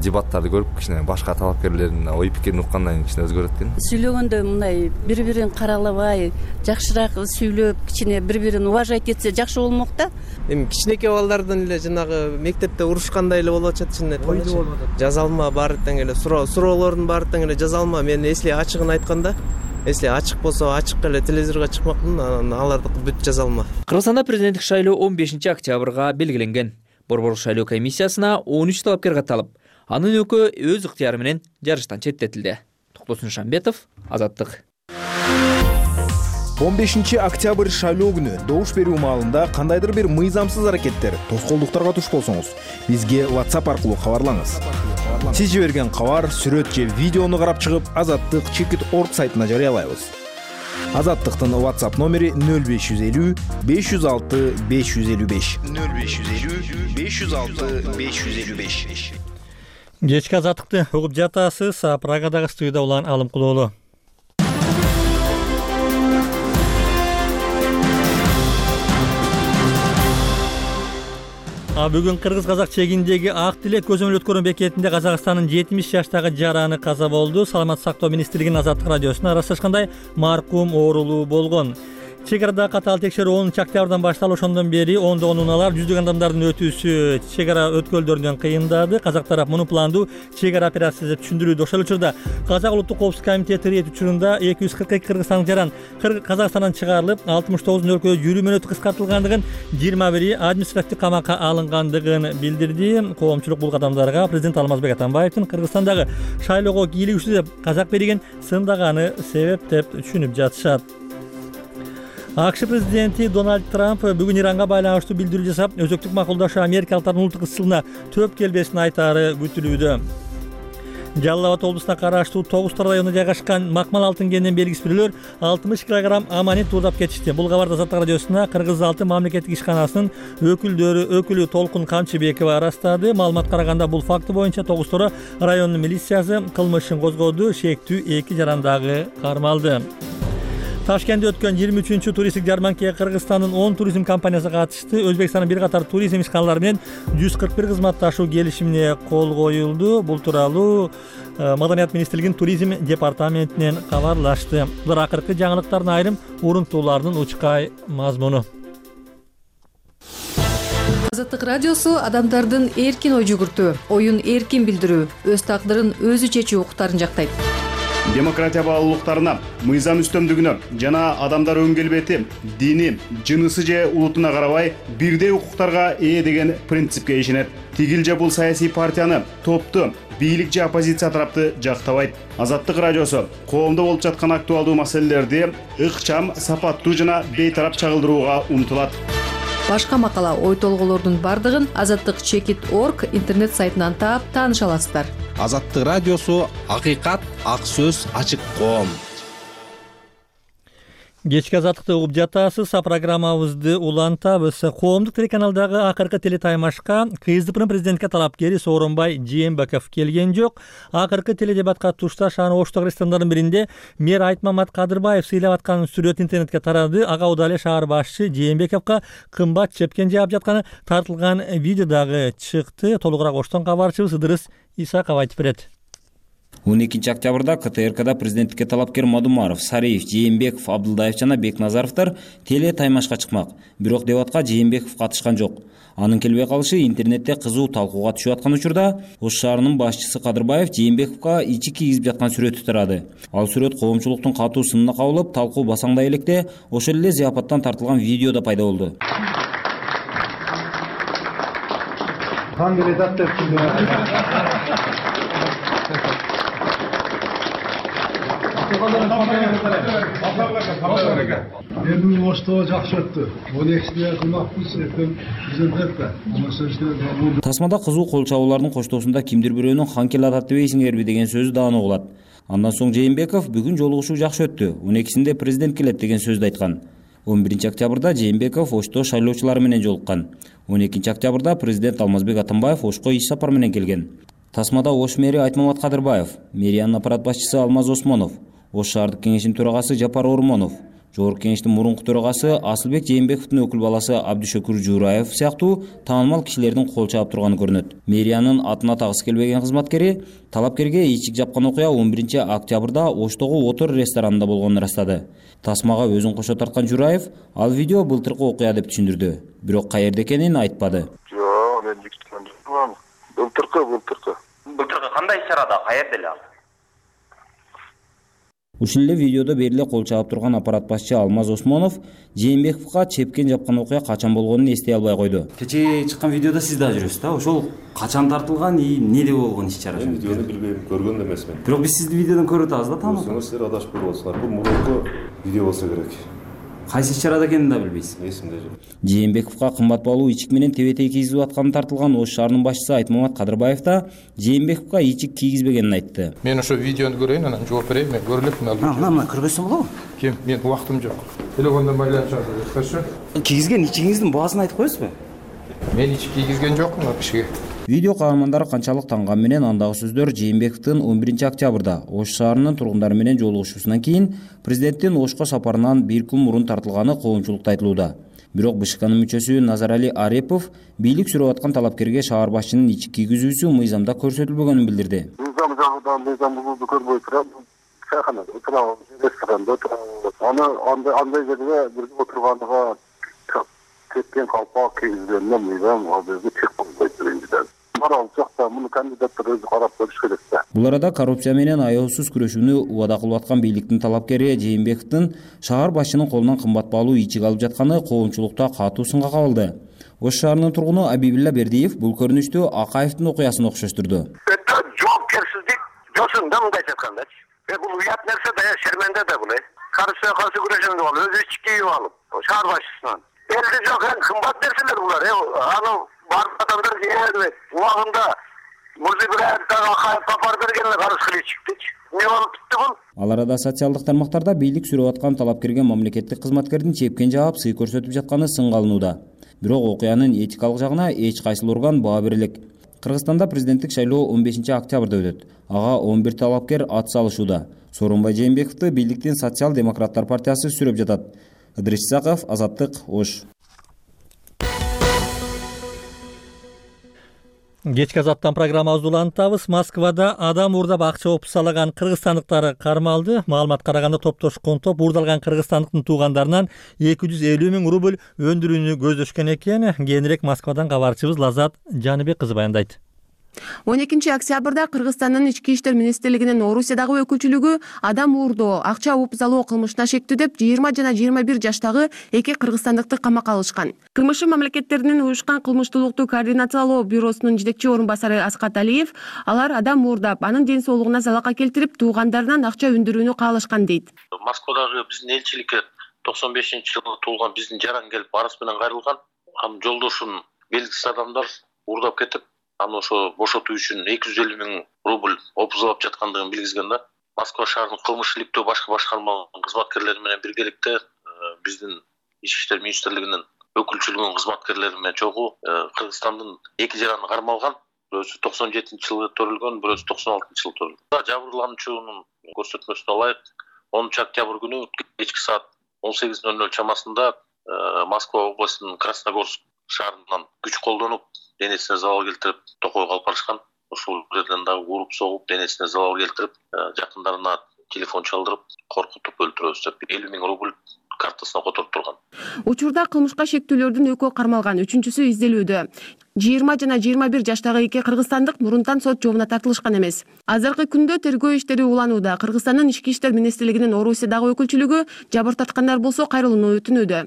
[SPEAKER 21] дебаттарды көрүп кичине башка талапкерлердин ой пикирин уккандан кийин кичине өзгөрөт экен.
[SPEAKER 22] Сүйлөгөндө мындай бири-бирин каралабай, жакшыраак сүйлөп, кичине бири-бирин уважать этсе жакшы болмок да.
[SPEAKER 23] Эми кичинекей балдардын эле жанагы мектепте урушкандай эле болуп атат, чын айтканда. Жаза алма баары тең эле суроолордун баары тең эле жаза алма. Мен эсли ачыгын айтканда, эсли ачык болсо ачык эле телевизорго чыкмакмын, анан аларды бүт жаза алма.
[SPEAKER 14] Кыргызстанда президенттик шайлоо 15-октябрга белгиленген. Борбордук шайлоо комиссиясына 13 талапкер катталып, анын экөө өз ыктыяры менен жарыштан четтетилди. Токтосун Шамбетов, Азаттык.
[SPEAKER 11] 15-октябрь шайлоо күнү добуш берүү маалында кандайдыр бир мыйзамсыз аракеттер, тоскоолдуктарга туш болсоңуз, бизге WhatsApp аркылуу кабарлаңыз. Сиз жиберген кабар, сүрөт же видеону карап чыгып, Азаттык.org сайтына жарыялайбыз. Азаттыктын WhatsApp номери 0550 506 555. 0550 506 555.
[SPEAKER 1] Кечки Азаттыкты угуп жатасыз. Прагадагы студияда улан Алым Кулоолу. Бүгүн Кыргыз-Казак чегиндеги Ак Тилек көзөмөл өткөрүү бекетинде Казакстандын 70 жаштагы жараны каза болду. Саламаттык сактоо министрлигинин Азаттык радиосуна аралашкандай маркум оорулуу болгон. Чек арада катаал текшерүү 10-октябрдан башталып, ошондон бери ондогон унаалар, жүздөгөн адамдардын өтүүсү чек ара өткөлдөрүнөн кыйындады. Казак тарап муну пландуу чек ара операциясы деп түшүндүрүүдө. Ошол учурда Казак улуттук коопсуздук комитети рейд учурунда 242 кыргызстандык жаран Казакстандан чыгарылып, 69 өлкөдө жүрүү мөөнөтү кыскартылгандыгын, 21 административдик камакка алынгандыгын билдирди. Коомчулук бул кадамдарга президент Алмазбек Атамбаевдин Кыргызстандагы шайлоого кийлигишүү деп казак берген сындаганы себеп деп түшүнүп жатышат. АКШ президенти Дональд Трамп бүгүн Иранга байланыштуу билдирүү жасап, өзөктүк макулдашы америкалыктардын улуттук ысылына төп келбесин айтаары күтүлүүдө. Жалал Абад облусуна караштуу Тогустар районунда жайгашкан Макмал алтын кенинен белгисиз 60 кг аманит уурдап кетишти. Бул кабарды Азаттык радиосуна Кыргыз алтын мамлекеттик ишканасынын өкүлү Толкун Камчыбекова ырастады. Маалыматка караганда бул факты боюнча Тогустар районунун милициясы кылмышын козгоду. Шектүү 2 жарандагы кармалды. Ташкентте өткөн 23-чү туристтик жарманкага Кыргызстандын 10 туризм компаниясы катышты. Өзбекстандын бир катар туризм ишканалары менен 141 кызматташуу келишимине кол коюлду. Бул тууралуу Маданият министрлигинин туризм департаментинен кабарлашты. Булар акыркы жаңылыктардын айрым урунтууларынын учкай мазмуну.
[SPEAKER 4] Азаттык радиосу адамдардын эркин ой жүгүртүү, оюн эркин билдирүү, өз тагдырын өзү чечүү укуктарын жактайт.
[SPEAKER 7] Демократия баалуулуктарына, мыйзам үстөмдүгүнө жана адамдар өн келбети, дини, жынысы же улутуна карабай бирдей укуктарга ээ деген принципке ишенет. Тигил же бул саясий партияны, топту, бийлик же оппозиция тарапты жактабайт. Азаттык радиосу коомдо болуп жаткан актуалдуу маселелерди ыкчам, сапаттуу жана бейтарап чагылдырууга умтулат.
[SPEAKER 4] Башка макала, ой толголордун бардыгын azattik.org интернет сайтынан таап тааныша аласыздар.
[SPEAKER 5] Азаттык радиосу акыйкат, ак сөз, ачык коом.
[SPEAKER 1] Кечки азаттыкты угуп жатасыз. Программабызды улантабыз. Коомдук телеканалдагы акыркы телетаймашка КСДПнын президентке талапкери Сооронбай Жээнбеков келген жок. Акыркы теледебатка тушташ аны Оштогу ресторандардын биринде мэр Айтмамат Кадырбаев сыйлап аткан сүрөт интернетке тарады. Ага удаа эле шаар башчы Жээнбековго кымбат чепкен жаап жатканы тартылган видео дагы чыкты. Толугураак Оштон кабарчыбыз Ыдырыс Исаков айтып берет.
[SPEAKER 6] 12 октябрда КТРКда президенттикке талапкер Мадумаров, Сариев, Жээнбеков, Абдылдаев жана Бекназаровдор теле таймашка чыкмак. Бирок дебатка Жээнбеков катышкан жок. Анын келбей калышы интернетте кызуу талкууга түшүп аткан учурда Ош шаарынын башчысы Кадырбаев Жээнбековго ичи кийгизип жаткан сүрөтү тарады. Ал сүрөт коомчулуктун катуу сынына кабылып, талкуу басаңдай электе ошол эле зыяпаттан тартылган видео да пайда болду.
[SPEAKER 15] Эмне Оштоо жакшы өттү. 12-сине кылмакпыз, президент.
[SPEAKER 6] Тасмада кызуу кол чабуулардын коштоосунда кимдир бирөөнүн хан кел атат дебейсиңерби деген сөзү дааны угулат. Андан соң Жээнбеков бүгүн жолугушуу жакшы өттү. 12-синде президент келет деген сөздү айткан. 11 октябрда Жээнбеков Ошто шайлоочулары менен жолуккан. 12 октябрда президент Алмазбек Атамбаев Ошко иш сапар менен келген. Тасмада Ош мэри Айтмамат Кадырбаев, мэриянын аппарат башчысы Алмаз Осмонов, Ош шаардык кеңештин төрагасы Жапар Ормонов, Жогорку кеңештин мурунку төрагасы Асылбек Жээнбековдун өкүл баласы Абдышөкүр Жуураев сыяктуу таанымал кишилердин кол чаап турганы көрүнөт. Мэриянын атына тагысы келбеген кызматкери талапкерге ичик жапкан окуя 11 октябрда Оштогу Отор ресторанында болгонун ырастады. Тасмага өзүн кошо тарткан Жуураев ал видео былтыркы окуя деп түшүндүрдү. Бирок каерде экенин айтпады.
[SPEAKER 24] Жок, мен былтыркы кандай иш-чарада, каерде эле ал?
[SPEAKER 6] Ушул эле видеодо бериле кол чаап турган аппарат башчы Алмаз Осмонов Жээнбековго чепкен жапкан окуя качан болгонун эстей албай койду.
[SPEAKER 25] Кечээ чыккан видеодо сиз да жүрөсүз да? Ошол качан тартылган, эмнеде болгон иш-чара?
[SPEAKER 26] Мен видеону билбейм, көргөн да эмесмин.
[SPEAKER 25] Бирок биз сизди видеодон көрүп атабыз да, таанып.
[SPEAKER 26] Сиздер адашып көрүп атасыздар. Бул мурунку видео болсо керек.
[SPEAKER 25] Кайсы иш-чарада экенин да билбейсиз.
[SPEAKER 26] Эсимде жок.
[SPEAKER 6] Жээнбековго кымбат баалуу ичик менен тебетей кийгизип атканы тартылган Ош шаарынын башчысы Айтмамат Кадырбаев да Жээнбековго ичик кийгизбегенин айтты.
[SPEAKER 27] Мен ошо видеону көрөйүн, анан жооп берейин. Мен көрүп элем.
[SPEAKER 25] Мына көрбөсөм болобу?
[SPEAKER 27] Кем? Мен убактым жок. Телефондон байланышат. Хорошо.
[SPEAKER 25] Кийгизген ичигиңиздин баасын айтып коесузбу?
[SPEAKER 27] Мен ичик кийгизген жокмун ал кишиге.
[SPEAKER 6] Видео каармандары канчалык танган менен андагы сөздөр Жээнбековдун 11 октябрда Ош шаарынын тургундары менен жолугушуусунан кийин президенттин Ошко сапарынан бир күн мурун тартылганы коомчулукта айтылууда. Бирок БШКнын мүчөсү Назарали Арепов бийлик сүрөп аткан талапкерге шаар башчынын ичик кийгизүүсү мыйзамда көрсөтүлбөгөнүн билдирди.
[SPEAKER 24] Мыйзам жагынан мыйзам бузулду көрбөй турам. Чайханада отурам, ресторанда отурам. Андай жерде бир отурганга кеткен калпак кийгизгенде мыйзам ал жерде чек болбойт биринчиден. Марал жакта муну кандидаттар өзү карап көрүш керек да.
[SPEAKER 6] Бул арада коррупция менен аеосуз күрөшүүнү убада кылып аткан бийликтин талапкери Жээнбековдун шаар башчынын колунан кымбат баалуу ичик алып жатканы коомчулукта катуу сынга кабылды. Ош шаарынын тургуну Абибилла Бердиев бул көрүнүштү Акаевдин окуясын окшоштурду.
[SPEAKER 24] Это жоопкерсиздик жосунда мындайча айткандачы. Бул уят нерсе да, шерменде да бул. Коррупцияга каршы күрөшөм деп алып, өзү ичик кийип алып, шаар башчысынан. Элде жок, кымбат нерселер булар. Аны барлык адамдар жеңет. Убагында Мурзибраев дагы Акаев сапар бергенде карыз кылып чыктычы. Не болуп бүтү бул?
[SPEAKER 6] Ал арада социалдык тармактарда бийлик сүрөп аткан талапкерге мамлекеттик кызматкердин чепкен жаап сый көрсөтүп жатканы сынга алынууда. Бирок окуянын этикалык жагына эч кайсыл орган баа бере элек. Кыргызстанда президенттик шайлоо 15 октябрда өтөт. Ага 11 талапкер ат салышууда. Сооронбай Жээнбековду бийликтин социал-демократтар партиясы сүрөп жатат. Ыдырыс Исаков, Азаттык, Ош.
[SPEAKER 1] Кечки азаттан программабызды улантабыз. Москвада адам уурдап акча опусалаган кыргызстандыктар кармалды. Маалымат караганда топтошкон топ уурдалган кыргызстандыктын туугандарынан 250 000 рубль өндүрүүнү көздөшкөн экен. Кийинирээк Москвадан кабарчыбыз Лазат Жаныбек кызы баяндайт.
[SPEAKER 2] 12 октябрда Кыргызстандын ички иштер министрлигинин Орусиядагы өкүлчүлүгү адам уурдоо, акча опусалоо кылмышына шектүү деп 20 жана 21 жаштагы эки кыргызстандыкты камакка алышкан. КМШ мамлекеттеринин уюшкан кылмыштуулукту координациялоо бюросунун жетекчи орун басары Аскат Алиев, алар адам уурдап, анын ден соолугуна залалга келтирип, туугандарынан акча өндүрүүнү каалашкан дейт.
[SPEAKER 3] Москвадагы биздин элчиликке 95-жылы туулган биздин жаран келип арыз менен кайрылган. Анын жолдошун белгисиз адамдар уурдап кетип, аны ошо бошотуу үчүн 250 000 рубль опузалап жаткандыгын билгизген да. Москва шаарынын кылмыш иликтөө башкы башкармаларынын кызматкерлери менен биргеликте биздин ички иштер министрлигинин өкүлчүлүгүнүн кызматкерлери менен чогуу Кыргызстандын эки жараны кармалган. Бирөөсү 97-жылы төрүлгөн, бирөөсү 96-жылы төрүлгөн. Жабырлануучунун көрсөтмөсүнө ылайык 10 октябрь күнү кечки саат 18:00 чамасында Москва областынын Красногорск шаарынан күч колдонуп, денесине залал келтирип, токойго алып барышкан. Ошол жерден дагы уруп согуп, денесине залал келтирип, жакындарына телефон чалдырып, коркутуп өлтүрөбүз деп 50 000 рубль картасына которуп турган.
[SPEAKER 2] Учурда кылмышка шектүүлөрдүн экөө кармалган, үчүнчүсү изделүүдө. 20 жана 21 жаштагы эки кыргызстандык мурунтан сот жообуна тартылышкан эмес. Азыркы күндө тергөө иштери уланууда. Кыргызстандын ички иштер министрлигинин Орусиядагы өкүлчүлүгү жабыртаткандар болсо кайрылууну өтүнүүдө.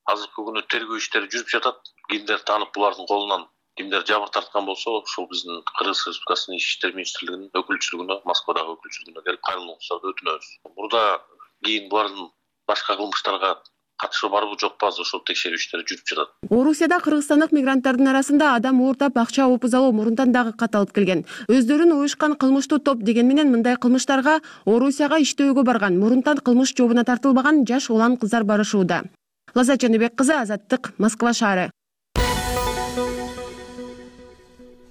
[SPEAKER 3] Азыркы күнү тергөө иштери жүрүп жатат. Кимдер таанып булардын колунан кимдер жабыр тарткан болсо, ошол биздин Кыргыз Республикасынын ички иштер министрлигинин өкүлчүлүгүнө, Москвадагы өкүлчүлүгүнө келип кайрылууңузду өтүнөбүз. Мурда кийин булардын башка кылмыштарга катышы барбы жокпу, азыр ошол текшерүү иштери жүрүп жатат.
[SPEAKER 2] Орусияда кыргызстандык мигранттардын арасында адам уурдап акча опузалоо мурунтан дагы катталып келген. Өздөрүн уюшкан кылмыштуу топ деген менен мындай кылмыштарга Орусияга иштөөгө барган, мурунтан кылмыш жообуна тартылбаган жаш улан кыздар барышууда. Лазат Жаныбек кызы, Азаттык, Москва шаары.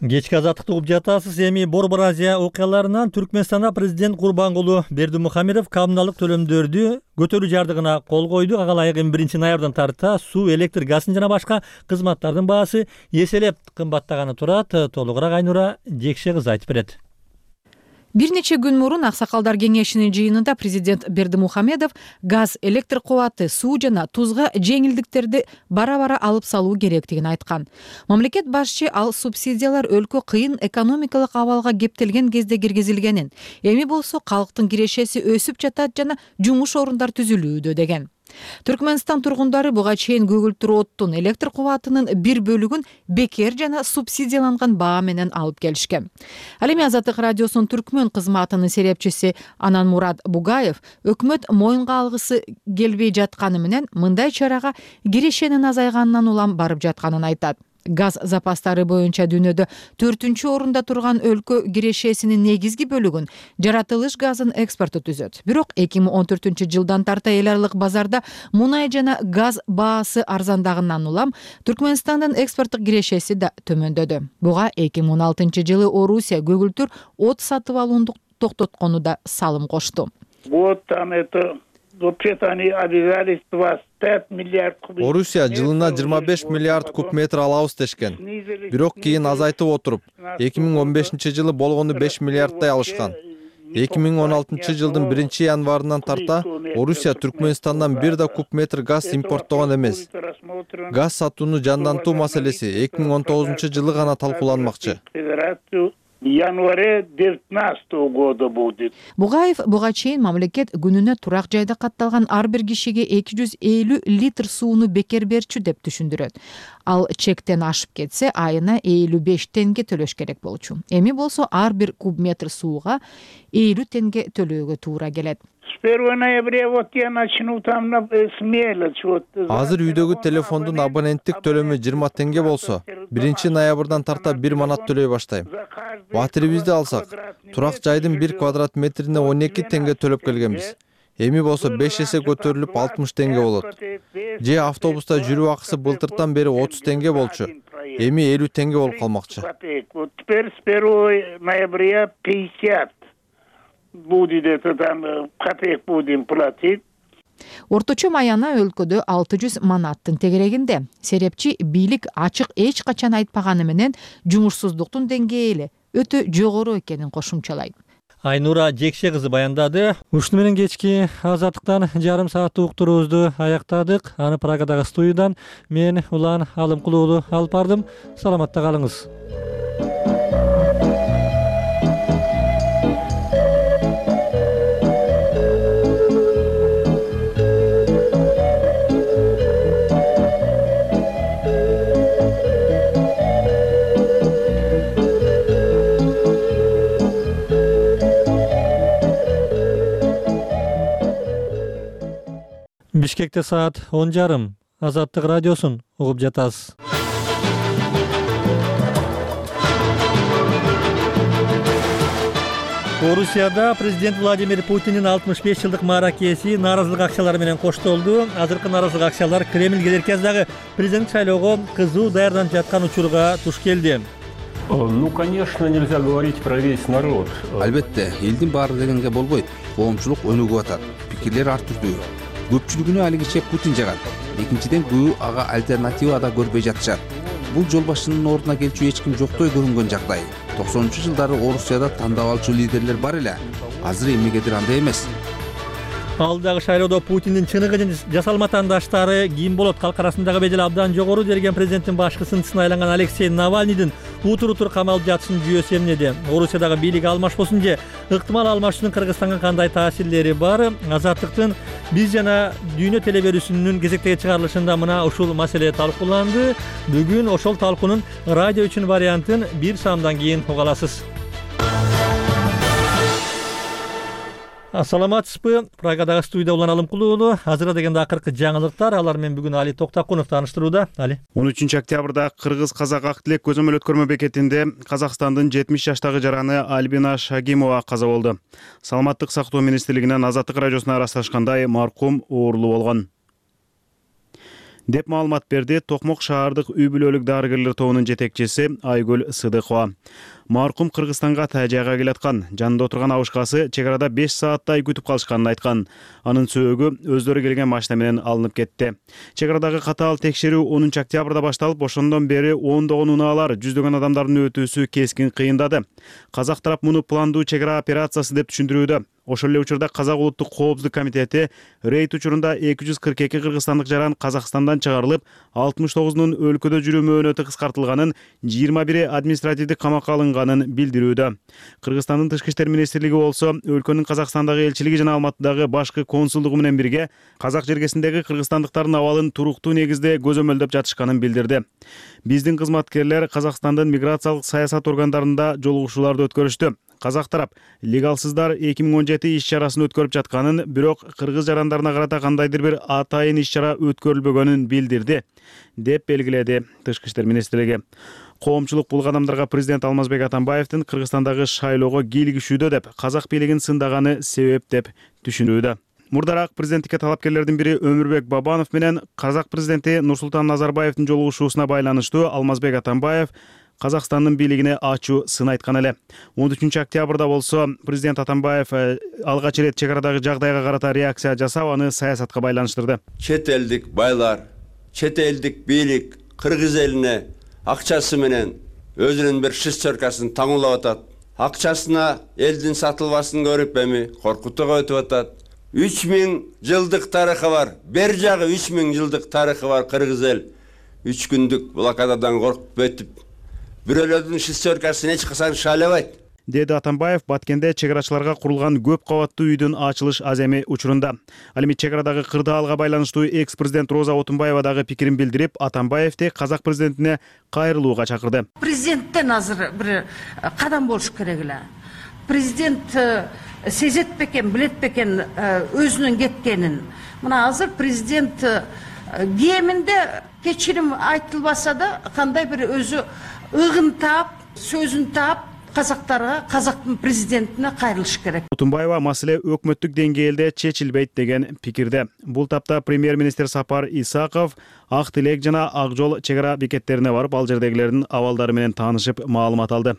[SPEAKER 1] Кечки азаттыкты угуп жатасыз. Эми Борбор Азия окуяларынан Түркмөнстанда президент Курбангулу Бердимухамедов коммуналдык төлөмдөрдү көтөрүү жардыгына кол койду. Ага ылайык 1 ноябрдан тарта суу, электр, газдын жана башка кызматтардын баасы эселеп кымбаттаганы турат. Толугураак Айнура Жекше кызы айтып берет.
[SPEAKER 8] Бир нече күн мурун Аксакалдар кеңешинин жыйынында президент Бердимухамедов газ, электр кубаты, суу жана тузга жеңилдиктерди бара-бара алып салуу керектигин айткан. Мамлекет башчы ал субсидиялар өлкө кыйын экономикалык абалга кептелген кезде киргизилгенин, эми болсо калктын кирешеси өсүп жатат жана жумуш орундар түзүлүүдө деген. Түркмөнстан тургундары буга чейин көгүлтүр оттун, электр кубатынын бир бөлүгүн бекер жана субсидияланган баа менен алып келишкен. Ал эми Азаттык радиосунун түркмөн кызматынын серепчиси Ананмурат Бугаев өкмөт моюнга алгысы келбей жатканы менен мындай чарага кирешенин азайганынан улам барып жатканын айтат. Газ запастары боюнча дүйнөдө 4-орунда турган өлкө кирешесинин негизги бөлүгүн жаратылыш газын экспорту түзөт. Бирок 2014-жылдан тарта эл аралык базарда мунай жана газ баасы арзандагынан улам Түркмөнстандын экспорттук кирешеси да төмөндөдү. Буга 2016-жылы Орусия көгүлтүр от сатып алууну токтоткону да салым кошту.
[SPEAKER 9] Орусия жылына 25 миллиард куб метр алабыз дешкен. Бирок кийин азайтып отуруп, 2015-жылы болгону 5 миллиарддай алышкан. 2016-жылдын 1-январынан тарта Орусия Түркмөнстандан бир да куб метр газ импорттогон эмес. Газ сатууну жандантуу маселеси 2019-жылы гана талкууланмакчы.
[SPEAKER 8] Январе 19 года будет. Бугаев буга чейин мамлекет күнүнө турак жайда катталган ар бир кишиге 250 литр сууну бекер берчү деп түшүндүрөт. Ал чектен ашып кетсе айына 55 тенге төлөш керек болчу. Эми болсо ар бир куб метр сууга 50 тенге төлөөгө туура келет.
[SPEAKER 9] Азыр үйдөгү телефондун абоненттик төлөмү 20 тенге болсо, 1 ноябрдан тарта 1 манат төлөй баштайм. Батирибизди алсак, турак жайдын 1 квадрат метрине 12 тенге төлөп келгенбиз. Эми болсо 5 эсе көтөрүлүп 60 тенге болот. Же автобуста жүрүү акысы былтыртан бери 30 тенге болчу. Эми 50 тенге болуп калмакчы.
[SPEAKER 8] Теперь с 1 ноября 50. Будет это там копеек будем платить. Орточо маяна өлкөдө 600 манаттын тегерегинде. Серепчи бийлик ачык эч качан айтпаганы менен жумушсуздуктун деңгээли эле өтө жогору экенин кошумчалайт.
[SPEAKER 1] Айнура Жекше кызы баяндады. Ушуну менен кечки азаттыктан жарым сааттык уктуруубузду аяктадык. Аны Прагадагы студиядан мен Улан Алымкулуу уулу алып бардым. Саламатта калыңыз. Бишкекте саат 10:30. Азаттык радиосун угуп жатасыз. Орусияда президент Владимир Путиндин 65 жылдык мааракеси нааразылык акчалары менен коштолду. Азыркы нааразылык акчалар Кремльге эркездагы президент шайлоого кызуу даярданып жаткан учурга туш келди.
[SPEAKER 10] Ну, конечно, нельзя говорить про весь народ.
[SPEAKER 5] Албетте, элдин баары дегенге болбойт. Коомчулук өнүгүп атат. Пикирлер ар түрдүү. Көпчүлүгүнө алигиче Путин жагат. Экинчиден көбү ага альтернатива да көрбөй жатышат. Бул жол башчынын ордуна келчү эч ким жоктой көрүнгөн жагдай. 90-жылдары Орусияда тандап алчу лидерлер бар эле. Азыр эмнегедир андай эмес.
[SPEAKER 1] Алдагы шайлоодо Путиндин чыныгы жасалма таңдаштары ким болот? Калк арасындагы бедел абдан жогору делген президенттин башкы сынчысына айланган Алексей Навальныйдын утур-утур камалып жатышын жүйөсү эмнеде? Орусиядагы бийлик алмашпосун же ыктымал алмашуунун Кыргызстанга кандай таасирлери бар? Азаттыктын Биз жана Дүйнө телеберүүсүнүн кезектеги чыгарылышында мына ушул маселе талкууланды. Бүгүн ошол талкуунун радио үчүн вариантын бир саамдан кийин уга аласыз. Саламатсызбы? Прагадагы студияда Улан Алымкулуу уулу. Азыр дегенде акыркы жаңылыктар. Алар менен бүгүн Али Токтакунов тааныштырууда. Али.
[SPEAKER 7] 13-октябрда Кыргыз-Казак ак тилек көзөмөл өткөрмө бекетинде Казакстандын 70 жаштагы жараны Альбина Шагимова каза болду. Саламаттык сактоо министрлигинен Азаттык радиосуна ырасташкандай маркум оорлуу болгон деп маалымат берди Токмок шаардык үй бүлөлүк дарыгерлер тобунун жетекчиси Айгүл Сыдыкова. Маркум Кыргызстанга тажайга келаткан. Жанында отурган абышкасы чек арада 5 сааттай күтүп калышканын айткан. Анын сөөгү өздөрү келген машина менен алынып кетти. Чек арадагы катаал текшерүү 10-октябрда башталып, ошондон бери ондогон унаалар, жүздөгөн адамдардын өтүүсү кескин кыйындады. Казак тарап муну пландуу чек ара операциясы деп түшүндүрүүдө. Ошол эле учурда Казак улуттук коопсуздук комитети рейд учурунда 242 кыргызстандык жаран Казакстандан чыгарылып, 69-нун өлкөдө жүрүү мөөнөтү кыскартылганын, 21 административдик камакка алынганын билдирүүдө. Кыргызстандын тышкы иштер министрлиги болсо өлкөнүн Казакстандагы элчилиги жана Алматыдагы башкы консулдугу менен бирге Казак жергесиндеги кыргызстандыктардын абалын туруктуу негизде көзөмөлдөп жатышканын билдирди. Биздин кызматкерлер Казакстандын миграциялык саясат органдарында жолугушууларды өткөрүштү. Казак тарап легалсыздар 2017 иш-чарасын өткөрүп жатканын, бирок кыргыз жарандарына карата кандайдыр бир атайын иш-чара өткөрүлбөгөнүн билдирди, деп белгиледи Тышкы иштер министрлиги. Коомчулук бул кадамдарга президент Алмазбек Атамбаевдин Кыргызстандагы шайлоого кийлигишүүдө деп Казак бийлигин сындаганы себеп деп түшүнүүдө. Мурдараак президенттикке талапкерлердин бири Өмүрбек Бабанов менен Казак президенти Нурсултан Назарбаевдин жолугушуусуна байланыштуу Алмазбек Атамбаев Казакстандын бийлигине ачуу сын айткан эле. 13-октябрда болсо президент Атамбаев алгач ирет чек арадагы жагдайга карата реакция жасап, аны саясатка байланыштырды.
[SPEAKER 12] Чет элдик байлар, чет элдик бийлик кыргыз элине акчасы менен өзүнүн бир шестеркасын таңуулап атат. Акчасына элдин сатылбасын көрүп эми коркутууга өтүп атат. 3000 жылдык тарыхы бар. Бер жагы 3000 жылдык тарыхы бар кыргыз эл. 3 күндүк блокададан коркуп өтүп, бирөөлөрдүн шестеркасын эч качан шайлабайт, деди Атамбаев Баткенде чек арачыларга курулган көп кабаттуу үйдүн ачылыш аземи учурунда. Ал эми чек арадагы кырдаалга байланыштуу экс-президент Роза Отунбаева дагы пикирин билдирип, Атамбаевди Казак президентине кайрылууга чакырды.
[SPEAKER 13] Президенттен азыр бир кадам болуш керек эле. Президент сезет бекен, билет бекен өзүнүн кеткенин. Мына азыр президент кеминде кечирим айтылбаса да кандай бир өзү ыгын таап, сөзүн таап, казактарга, казактын президентине кайрылыш керек.
[SPEAKER 7] Отунбаева маселе өкмөттүк деңгээлде чечилбейт деген пикирде. Бул тапта премьер-министр Сапар Исаков Ак Тилек жана Ак Жол чек ара бекеттерине барып, ал жердегилердин абалдары менен таанышып, маалымат алды.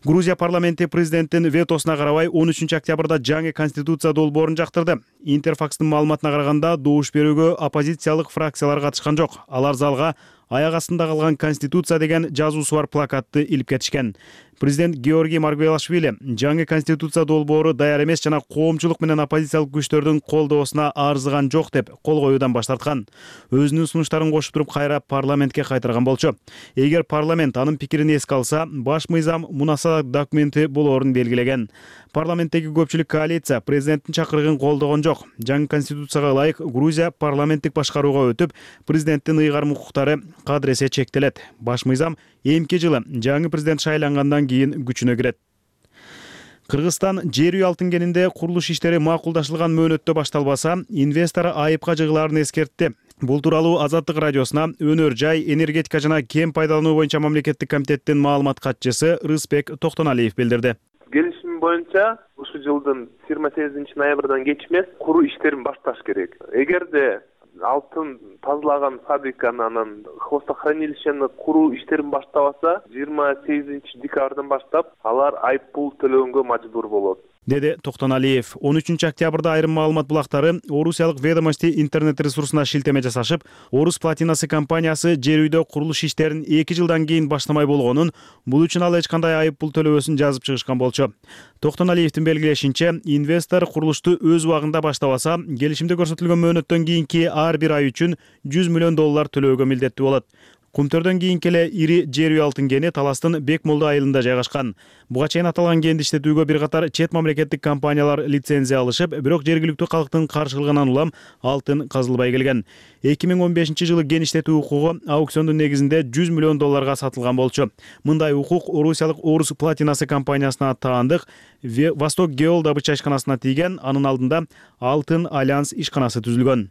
[SPEAKER 7] Грузия парламенти президенттин ветосуна карабай 13 октябрда жаңы конституция долбоорун жактырды. Интерфакстын маалыматына караганда добуш берүүгө оппозициялык фракциялар катышкан жок. Алар залга аяк астында калган конституция деген жазуусу бар плакатты илип кетишкен. Президент Георгий Маргвелашвили жаңы конституция долбоору даяр эмес жана коомчулук менен оппозициялык күчтөрдүн колдоосуна арзыган жок деп кол коюудан баш тарткан. Өзүнүн сунуштарын кошуп туруп кайра парламентке кайтарган болчу. Эгер парламент анын пикирин эске алса, баш мыйзам мунасаат документи болоорун белгилеген. Парламенттеги көпчүлүк коалиция президенттин чакырыгын колдогон жок. Жаңы конституцияга ылайык Грузия парламенттик башкарууга өтүп, президенттин ыйгарым укуктары кадыресе чектелет. Баш мыйзам эмки жылы жаңы президент шайлангандан кийин күчүнө кирет. Кыргызстан жер үй алтын кенинде курулуш иштери макулдашылган мөөнөттө башталбаса, инвестор айыпка жыгылаарын эскертти. Бул тууралуу Азаттык радиосуна өнөр жай, энергетика жана кен пайдалануу боюнча мамлекеттик комитеттин маалымат катчысы Рыспек Токтоналиев билдирди.
[SPEAKER 16] Келишим боюнча ушул жылдын 28 ноябрдан кечмес куруу иштерин башташ керек. Эгерде алтын тазалаган фабриканы анан хвостохранилищени куруу иштерин баштабаса, 28 декабрдан баштап алар айып пул төлөгөнгө мажбур болот,
[SPEAKER 7] деди Токтоналиев. 13 октябрда айрым маалымат булактары Орусиялык Ведомости интернет ресурсуна шилтеме жасашып, Орус Платинасы компаниясы жер үйдө курулуш иштерин 2 жылдан кийин баштамай болгонун, бул үчүн ал эч кандай айып пул төлөбөсүн жазып чыгышкан болчу. Токтоналиевдин белгилешинче, инвестор курулушту өз убагында баштабаса, келишимде көрсөтүлгөн мөөнөттөн кийинки ар бир ай үчүн $100 миллион төлөөгө милдеттүү болот. Кумтөрдөн кийинки эле ири жер үй алтын кени Таластын Бекмолду айылында жайгашкан. Буга чейин аталган кенди иштетүүгө бир катар чет мамлекеттик компаниялар лицензия алышып, бирок жергиликтүү калктын каршылыгынан улам алтын казылбай келген. 2015 жылы кен иштетүү укугу аукциондун негизинде $100 миллион сатылган болчу. Мындай укук Орусиялык Орус Платинасы компаниясына таандык Восток Геол добыча ишканасына тийген, анын алдында Алтын Альянс ишканасы түзүлгөн.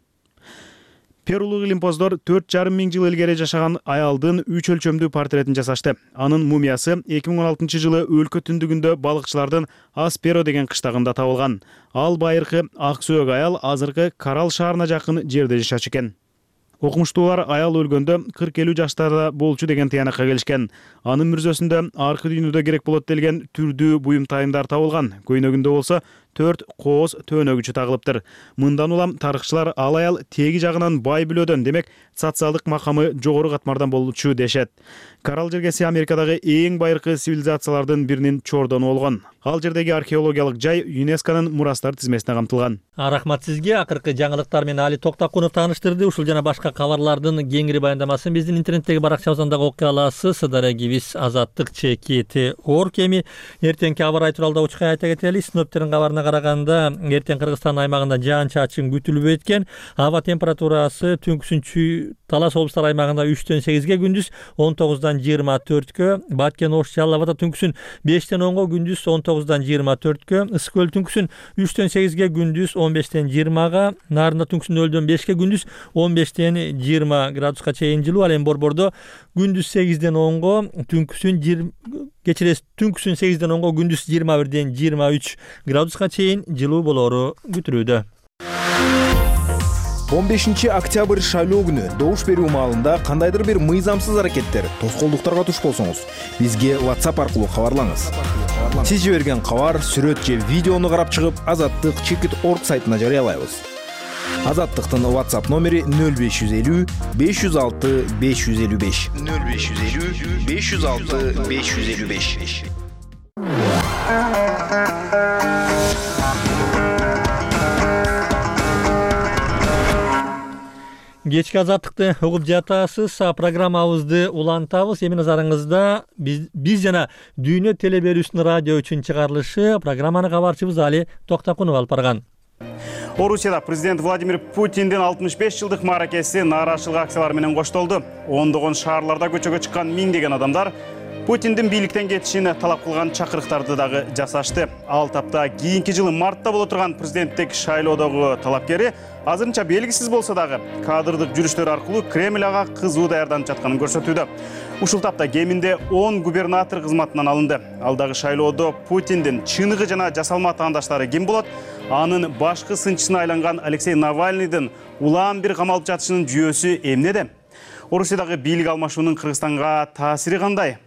[SPEAKER 7] Перулук илимпоздор 4,5 миң жыл илгери жашаган аялдын 3 өлчөмдүү портретин жасашты. Анын мумиясы 2016 жылы өлкө түндүгүндө балыкчылардын Асперо деген кыштагында табылган. Ал байыркы ак сөөк аял азыркы Карал шаарына жакын жерде жашачу экен. Окумуштуулар аял өлгөндө 40-50 жаштарда болчу деген тыянакка келишкен. Анын мүрзөсүндө аркы дүйнөдө керек болот делген түрдүү буюм тайымдар табылган. Көйнөгүндө болсо 4 кооз төөнөгүчү тагылыптыр. Мындан улам тарыхчылар ал аял теги жагынан бай бүлөдөн, демек социалдык макамы жогору катмардан болчу дешет. Карал жергеси Америкадагы эң байыркы цивилизациялардын биринин чордону болгон. Ал жердеги археологиялык жай ЮНЕСКОнун мурастар тизмесине камтылган.
[SPEAKER 1] Рахмат сизге. Акыркы жаңылыктар менен Али Токтакунов тааныштырды. Ушул жана башка кабарлардын кеңири баяндамасын биздин интернеттеги баракчабыздан дагы окуй аласыз. Сыдарагибиз Азаттык ЧКТ.org эми эртеңки аба ырайы тууралуу учкай айта кетели. Синоптиктердин кабарына караганда, эртең Кыргызстан аймагында жаан-чачын күтүлбөйт экен. Аба температурасы түнкүсүнчү Талас облустар аймагында 3-төн 8ге, күндүз 19-дан 24-кө, Баткен Ош Жалал Абада түнкүсүн 5-тен 10га, күндүз 19-дан 24-кө, Ысык көл түнкүсүн 3-төн 8ге, күндүз 15-тен 20га, Нарында түнкүсүн 0-дөн 5-ке, күндүз 15-тен 20 градуска чейин жылуу. Ал эми Борбордо күндүз 8-ден 10га, түнкүсүн түнкүсүн 8-ден 10га, күндүз 21-ден 23 градуска чейин жылуу болоору күтүлүүдө.
[SPEAKER 11] 15 октябрь шайлоо күнү добуш берүү маалында кандайдыр бир мыйзамсыз аракеттер, тоскоолдуктарга туш болсоңуз, бизге WhatsApp аркылуу кабарлаңыз. Сиз жиберген кабар, сүрөт же видеону карап чыгып, Азаттык ЧКТ.org сайтына жарыялайбыз. Азаттыктын WhatsApp номери 0550 506 555. 0550 506 555.
[SPEAKER 1] Кечки Азаттыкты угуп жатасыз. Программабызды улантабыз. Эми назарыңызда биз жана Дүйнө теле берүүсүнүн радио үчүн чыгарылышы. Программаны кабарчыбыз Али Токтакунов алып барган.
[SPEAKER 7] Орусияда президент Владимир Путиндин 65 жылдык мааракеси нааразычылык акциялары менен коштолду. Ондогон шаарларда көчөгө чыккан миңдеген адамдар Путиндин бийликтен кетишин талап кылган чакырыктарды дагы жасашты. Ал тапта кийинки жылы мартта боло турган президенттик шайлоодогу талапкери азырынча белгисиз болсо дагы кадрдык жүрүштөр аркылуу Кремль ага кызуу даярданып жатканын көрсөтүүдө. Ушул тапта кеминде 10 губернатор кызматынан алынды. Алдагы шайлоодо Путиндин чыныгы жана жасалма таандаштары ким болот? Анын башкы сынчысына айланган Алексей Навальныйдын улам бир камалып жатышынын жүйөсү эмнеде? Орусиядагы бийлик алмашуунун Кыргызстанга таасири кандай?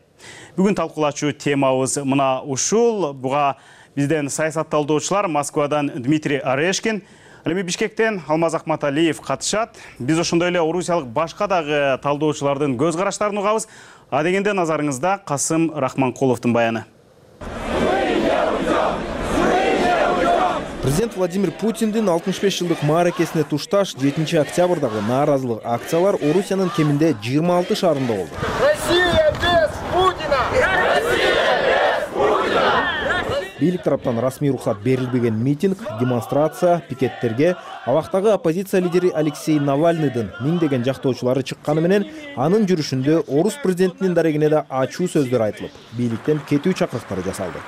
[SPEAKER 7] Бүгүн талкуулачу темабыз мына ушул. Буга бизден саясатталдоочулар Москвадан Дмитрий Орешкин, ал эми Бишкектен Алмаз Акматалиев катышат. Биз ошондой эле орусиялык башка дагы талдоочулардын көз караштарын угабыз. А дегенде назарыңызда Касым Рахманкуловдун баяны.
[SPEAKER 11] Президент Владимир Путиндин 65 жылдык мааракесине тушташ 7 октябрдагы нааразылык акциялар Орусиянын кеминде 26 шаарында болду.
[SPEAKER 17] Россия без Путина!
[SPEAKER 11] Бийлик тараптан расмий уруксат берилбеген митинг, демонстрация, пикеттерге абактагы оппозиция лидери Алексей Навальныйдын миңдеген жактоочулары чыкканы менен анын жүрүшүндө орус президентинин дарегине да ачуу сөздөр айтылып, бийликтен кетүү чакырыктары жасалды.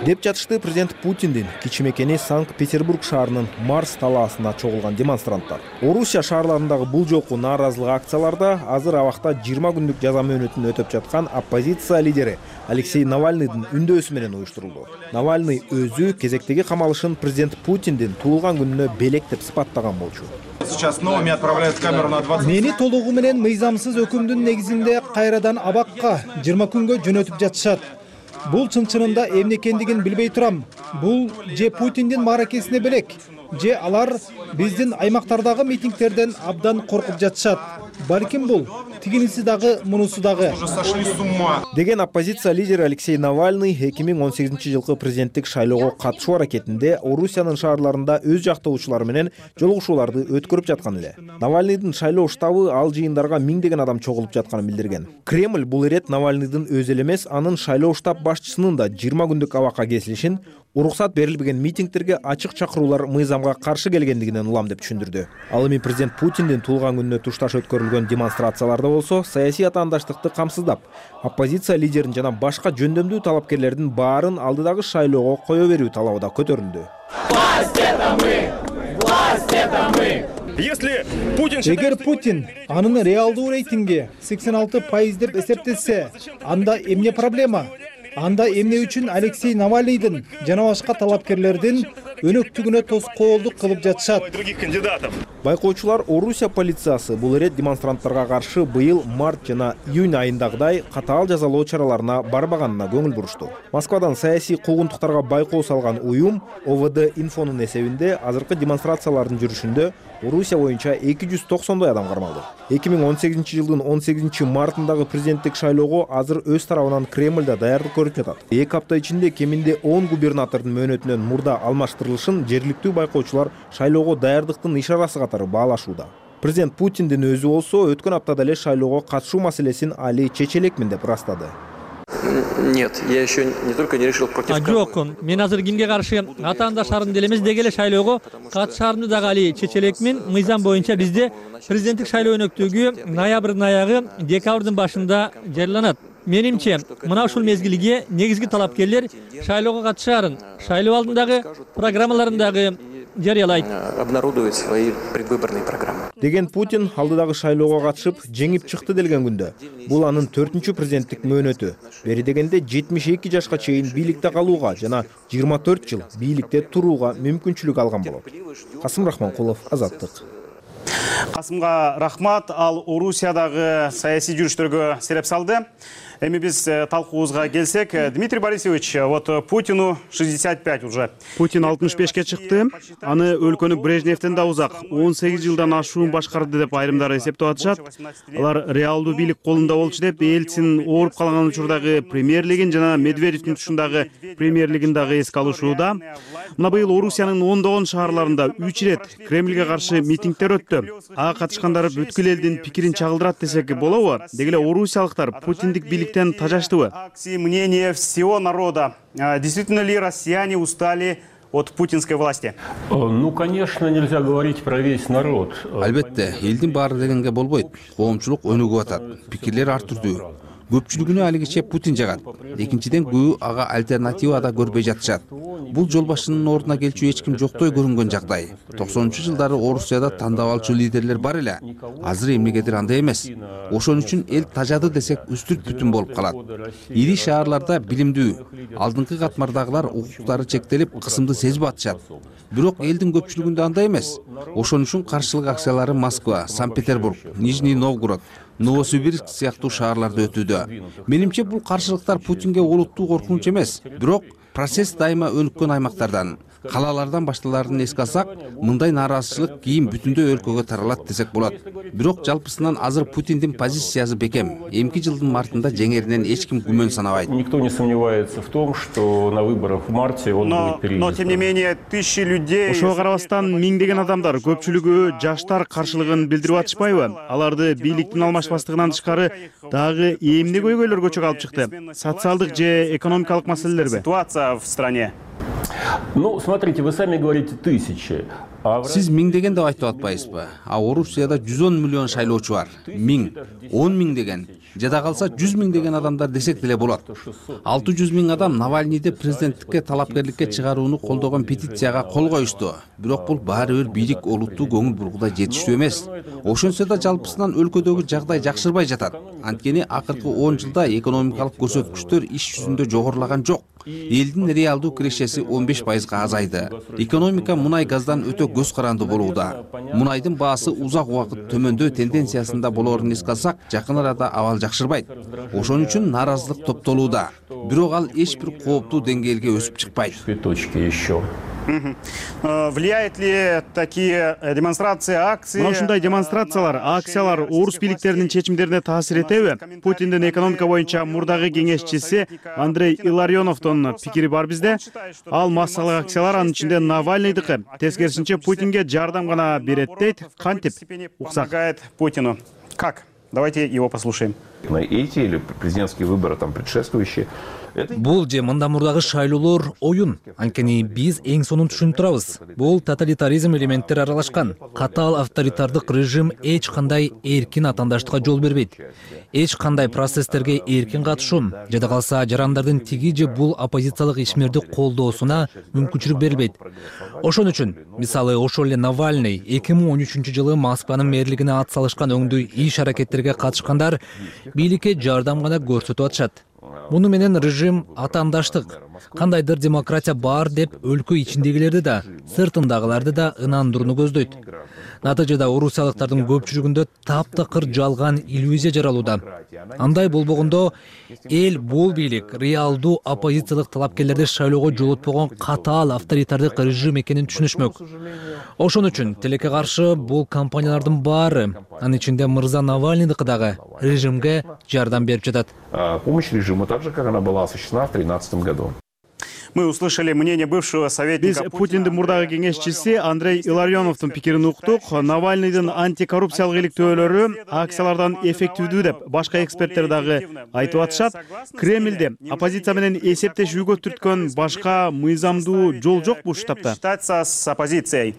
[SPEAKER 11] Деп жатышты президент Путиндин кичи мекени Санкт-Петербург шаарынын Марс талаасына чогулган демонстранттар. Орусия шаарларындагы бул жолку нааразылык акцияларда азыр абакта 20 күндүк жаза мөөнөтүн өтөп жаткан оппозиция лидери Алексей Навальныйдын үндөөсү менен уюштурулду. Навальный өзү кезектеги камалышын президент Путиндин туулган күнүнө белектеп сыпаттаган болчу.
[SPEAKER 17] Сейчас новыми отправляют камеру на 20.
[SPEAKER 18] Мени толугу менен мыйзамсыз өкүмдүн негизинде кайрадан абакка 20 күнгө жөнөтүп жатышат. Бул чын-чынында эмне экендигин билбей турам. Бул же Путиндин мааракесине белек, же алар биздин аймактардагы митингтерден абдан коркуп жатышат. Балким бул тигиниси дагы, мунусу дагы.
[SPEAKER 11] Деген оппозиция лидери Алексей Навальный 2018 жылкы президенттик шайлоого катышуу аракетинде Орусиянын шаарларында өз жактоочулары менен жолугушууларды өткөрүп жаткан эле. Навальныйдын шайлоо штабы ал жыйындарга миңдеген адам чогулуп жатканын билдирген. Кремль бул ирет Навальныйдын өзү эле эмес, анын шайлоо штаб башчысынын да 20 күндүк абакка кесилишин, уруксат берилбеген митингтерге ачык чакыруулар мыйзамга каршы келгендигинен улам деп түшүндүрдү. Ал эми президент Путиндин туулган күнүнө тушташ өткөрүлгөн демонстрацияларда болсо саясий атаандаштыкты камсыздап, оппозиция лидерин жана башка жөндөмдүү талапкерлердин баарын алдыдагы шайлоого кое берүү талабы да көтөрүлдү.
[SPEAKER 17] Власть это мы! Власть это мы!
[SPEAKER 18] Эгер Путин анын реалдуу рейтинги 86% деп эсептесе, анда эмне проблема? Анда эмне үчүн Алексей Навальныйдын жана башка талапкерлердин өнөктүгүнө тоскоолдук кылып жатышат?
[SPEAKER 11] Байкоочулар Орусия полициясы бул ирет демонстранттарга каршы быйыл март жана июнь айындагыдай катаал жазалоо чараларына барбаганына көңүл бурушту. Москвадан саясий куугунтуктарга байкоо салган уюм ОВД инфонун эсебинде азыркы демонстрациялардын жүрүшүндө Орусия боюнча 290 адам кармалды. 2018 жылдын 18 мартындагы президенттик шайлоого азыр өз тарабынан Кремль да даярдык көрүп жатат. 2 апта ичинде кеминде 10 губернатордун мөөнөтүнөн мурда алмаштырылышын жергиликтүү байкоочулар шайлоого даярдыктын ишарасы катары баалашууда. Президент Путиндин өзү болсо өткөн аптада эле шайлоого катышуу маселесин али чече элекмин деп ырастады.
[SPEAKER 19] Нет, я еще не только не решил против кого.
[SPEAKER 1] Жок, мен азыр кимге каршы атаандаштарым деле эмес, деги эле шайлоого катышаарымды дагы али чече элекмин. Мыйзам боюнча бизде президенттик шайлоо өнөктүгү ноябрдын аягы, декабрдын башында жарыяланат. Менимче, мына ушул мезгилге негизги талапкерлер шайлоого катышаарын, шайлоо алдындагы программаларындагы жарыялайт.
[SPEAKER 19] Обнародует свои предвыборные программы.
[SPEAKER 11] Деген Путин алдыдагы шайлоого катышып, жеңип чыкты делген күндө. Бул анын 4-чү президенттик мөөнөтү. Бери дегенде 72 жашка чейин бийликте калууга жана 24 жыл бийликте турууга мүмкүнчүлүк алган болот. Касым Рахманкулов, Азаттык.
[SPEAKER 7] Касымга рахмат, ал Орусиядагы саясий жүрүштөргө сереп салды. Эми биз талкуубузга келсек, Дмитрий Борисович, вот Путину 65 уже. Путин 65-ке чыкты. Аны өлкөнү Брежневден да узак 18 жылдан ашуун башкарды деп айрымдар эсептеп атышат. Алар реалдуу бийлик колунда болчу деп Элцин ооруп калган учурдагы премьерлигин жана Медведевдин тушундагы премьерлигин дагы эске алышууда. Мына быйыл Орусиянын ондогон шаарларында 3 ирет Кремльге каршы митингдер өттү. Ага катышкандар бүткүл элдин пикирин чагылдырат десек болобу? Деги эле орусиялыктар Путиндик бийликтен тажаштыбы? Акции мнения всего народа. Действительно ли россияне устали от путинской власти?
[SPEAKER 10] Ну, конечно, нельзя говорить про весь народ.
[SPEAKER 5] Албетте, элдин баары дегенге болбойт. Коомчулук өнүгүп атат. Пикирлер ар түрдүү. Көпчүлүгүнө алигиче Путин жагат. Экинчиден көбү ага альтернатива да көрбөй жатышат. Бул жол башчынын ордуна келчү эч ким жоктой көрүнгөн жагдай. 90-жылдары Орусияда тандап алчу лидерлер бар эле. Азыр эмнегедир андай эмес. Ошон үчүн эл тажады десек үстүрт бүтүн болуп калат. Ири шаарларда билимдүү, алдыңкы катмардагылар укуктары чектелип кысымды сезип атышат. Бирок элдин көпчүлүгүндө андай эмес. Ошон үчүн каршылык акциялары Москва, Санкт-Петербург, Нижний Новгород, Новосибирск сыяктуу шаарларда өтүүдө. Менимче бул каршылыктар Путинге олуттуу коркунуч эмес, бирок процесс дайыма өнүккөн аймактардан, калалардан башталарын эске алсак, мындай нааразычылык кийин бүтүндөй өлкөгө таралат десек болот. Бирок жалпысынан азыр Путиндин позициясы бекем. Эмки жылдын мартында жеңеринен эч ким күмөн санабайт.
[SPEAKER 10] Никто не сомневается в том, что на выборах в марте он будет переизбран.
[SPEAKER 7] Но тем не менее тысячи людей. Ошого карабастан миңдеген адамдар, көпчүлүгү жаштар каршылыгын билдирип атышпайбы? Аларды бийликтин алмашпастыгынан тышкары дагы эмне көйгөйлөр көчөгө алып чыкты? Социалдык же экономикалык маселелерби? Ситуация в стране.
[SPEAKER 10] Ну, смотрите, вы сами говорите тысячи.
[SPEAKER 5] Сиз миңдеген деп айтып атпайсызбы? А Орусияда 110 миллион шайлоочу бар. 1000, 10 миң деген, жада калса 100 миң деген адамдар десек деле болот. 600 миң адам Навальныйды президенттикке талапкерликке чыгарууну колдогон петицияга кол коюшту. Бирок бул баары бир бийлик олуттуу көңүл бургудай жетиштүү эмес. Ошонсо да жалпысынан өлкөдөгү жагдай жакшырбай жатат. Анткени акыркы 10 жылда экономикалык көрсөткүчтөр иш жүзүндө жогорулаган жок. Элдин реалдуу кирешеси 15%га азайды. Экономика мунай газдан өтө көз каранды болууда. Мунайдын баасы узак убакыт төмөндөө тенденциясында болоорун эске алсак, жакын арада абал жакшырбайт. Ошон үчүн нааразылык топтолууда. Бирок ал эч бир кооптуу деңгээлге өсүп чыкпайт.
[SPEAKER 7] Влияет ли такие демонстрации, акции? Мына ушундай демонстрациялар, акциялар орус бийликтеринин чечимдерине таасир этеби? Путиндин экономика боюнча мурдагы кеңешчиси Андрей Илларионовдун пикири бар бизде. Ал массалык акциялар анын ичинде Навальныйдыкы. Тескерисинче Путинге жардам гана берет дейт. Кантип уксак Путину? Как? Давайте его послушаем.
[SPEAKER 4] Эти или президентские выборы там предшествующие.
[SPEAKER 14] Бул же мындан мурдагы шайлоолор оюн. Анткени биз эң сонун түшүнүп турабыз. Бул тоталитаризм элементтери аралашкан. Катаал авторитардык режим эч кандай эркин атаандаштыкка жол бербейт. Эч кандай процесстерге эркин катышуу, жада калса жарандардын тиги же бул оппозициялык ишмерди колдоосуна мүмкүнчүлүк берилбейт. Ошон үчүн, мисалы, ошол эле Навальный 2013-жылы Москванын мэрлигине ат салышкан өңдүү иш аракеттерге катышкандар бийликке жардам гана көрсөтүп атышат. Муну менен режим атаандаштык, кандайдыр демократия бар деп өлкө ичиндегилерди да, сыртындагыларды да ынандырууну көздөйт. Натыйжада орусиялыктардын көпчүлүгүндө таптакыр жалган иллюзия жаралууда. Андай болбогондо эл бул бийлик реалдуу оппозициялык талапкерлерди шайлоого жолотпогон катаал авторитардык режим экенин түшүнүшмөк. Ошон үчүн тилекке каршы бул компаниялардын баары, анын ичинде мырза Навальныйдыкы дагы режимге жардам берип жатат.
[SPEAKER 4] Помощь режиму так же, как она была осуществлена в 2013 году.
[SPEAKER 7] Мы услышали мнение бывшего советника. Биз Путиндин мурдагы кеңешчиси Андрей Илларионовдун пикирин уктук. Навальныйдын антикоррупциялык иликтөөлөрү акциялардан эффективдүү деп башка эксперттер дагы айтып атышат. Кремльде оппозиция менен эсептешүүгө түрткөн башка мыйзамдуу жол жокпу ушул тапта? Считаться с оппозицией.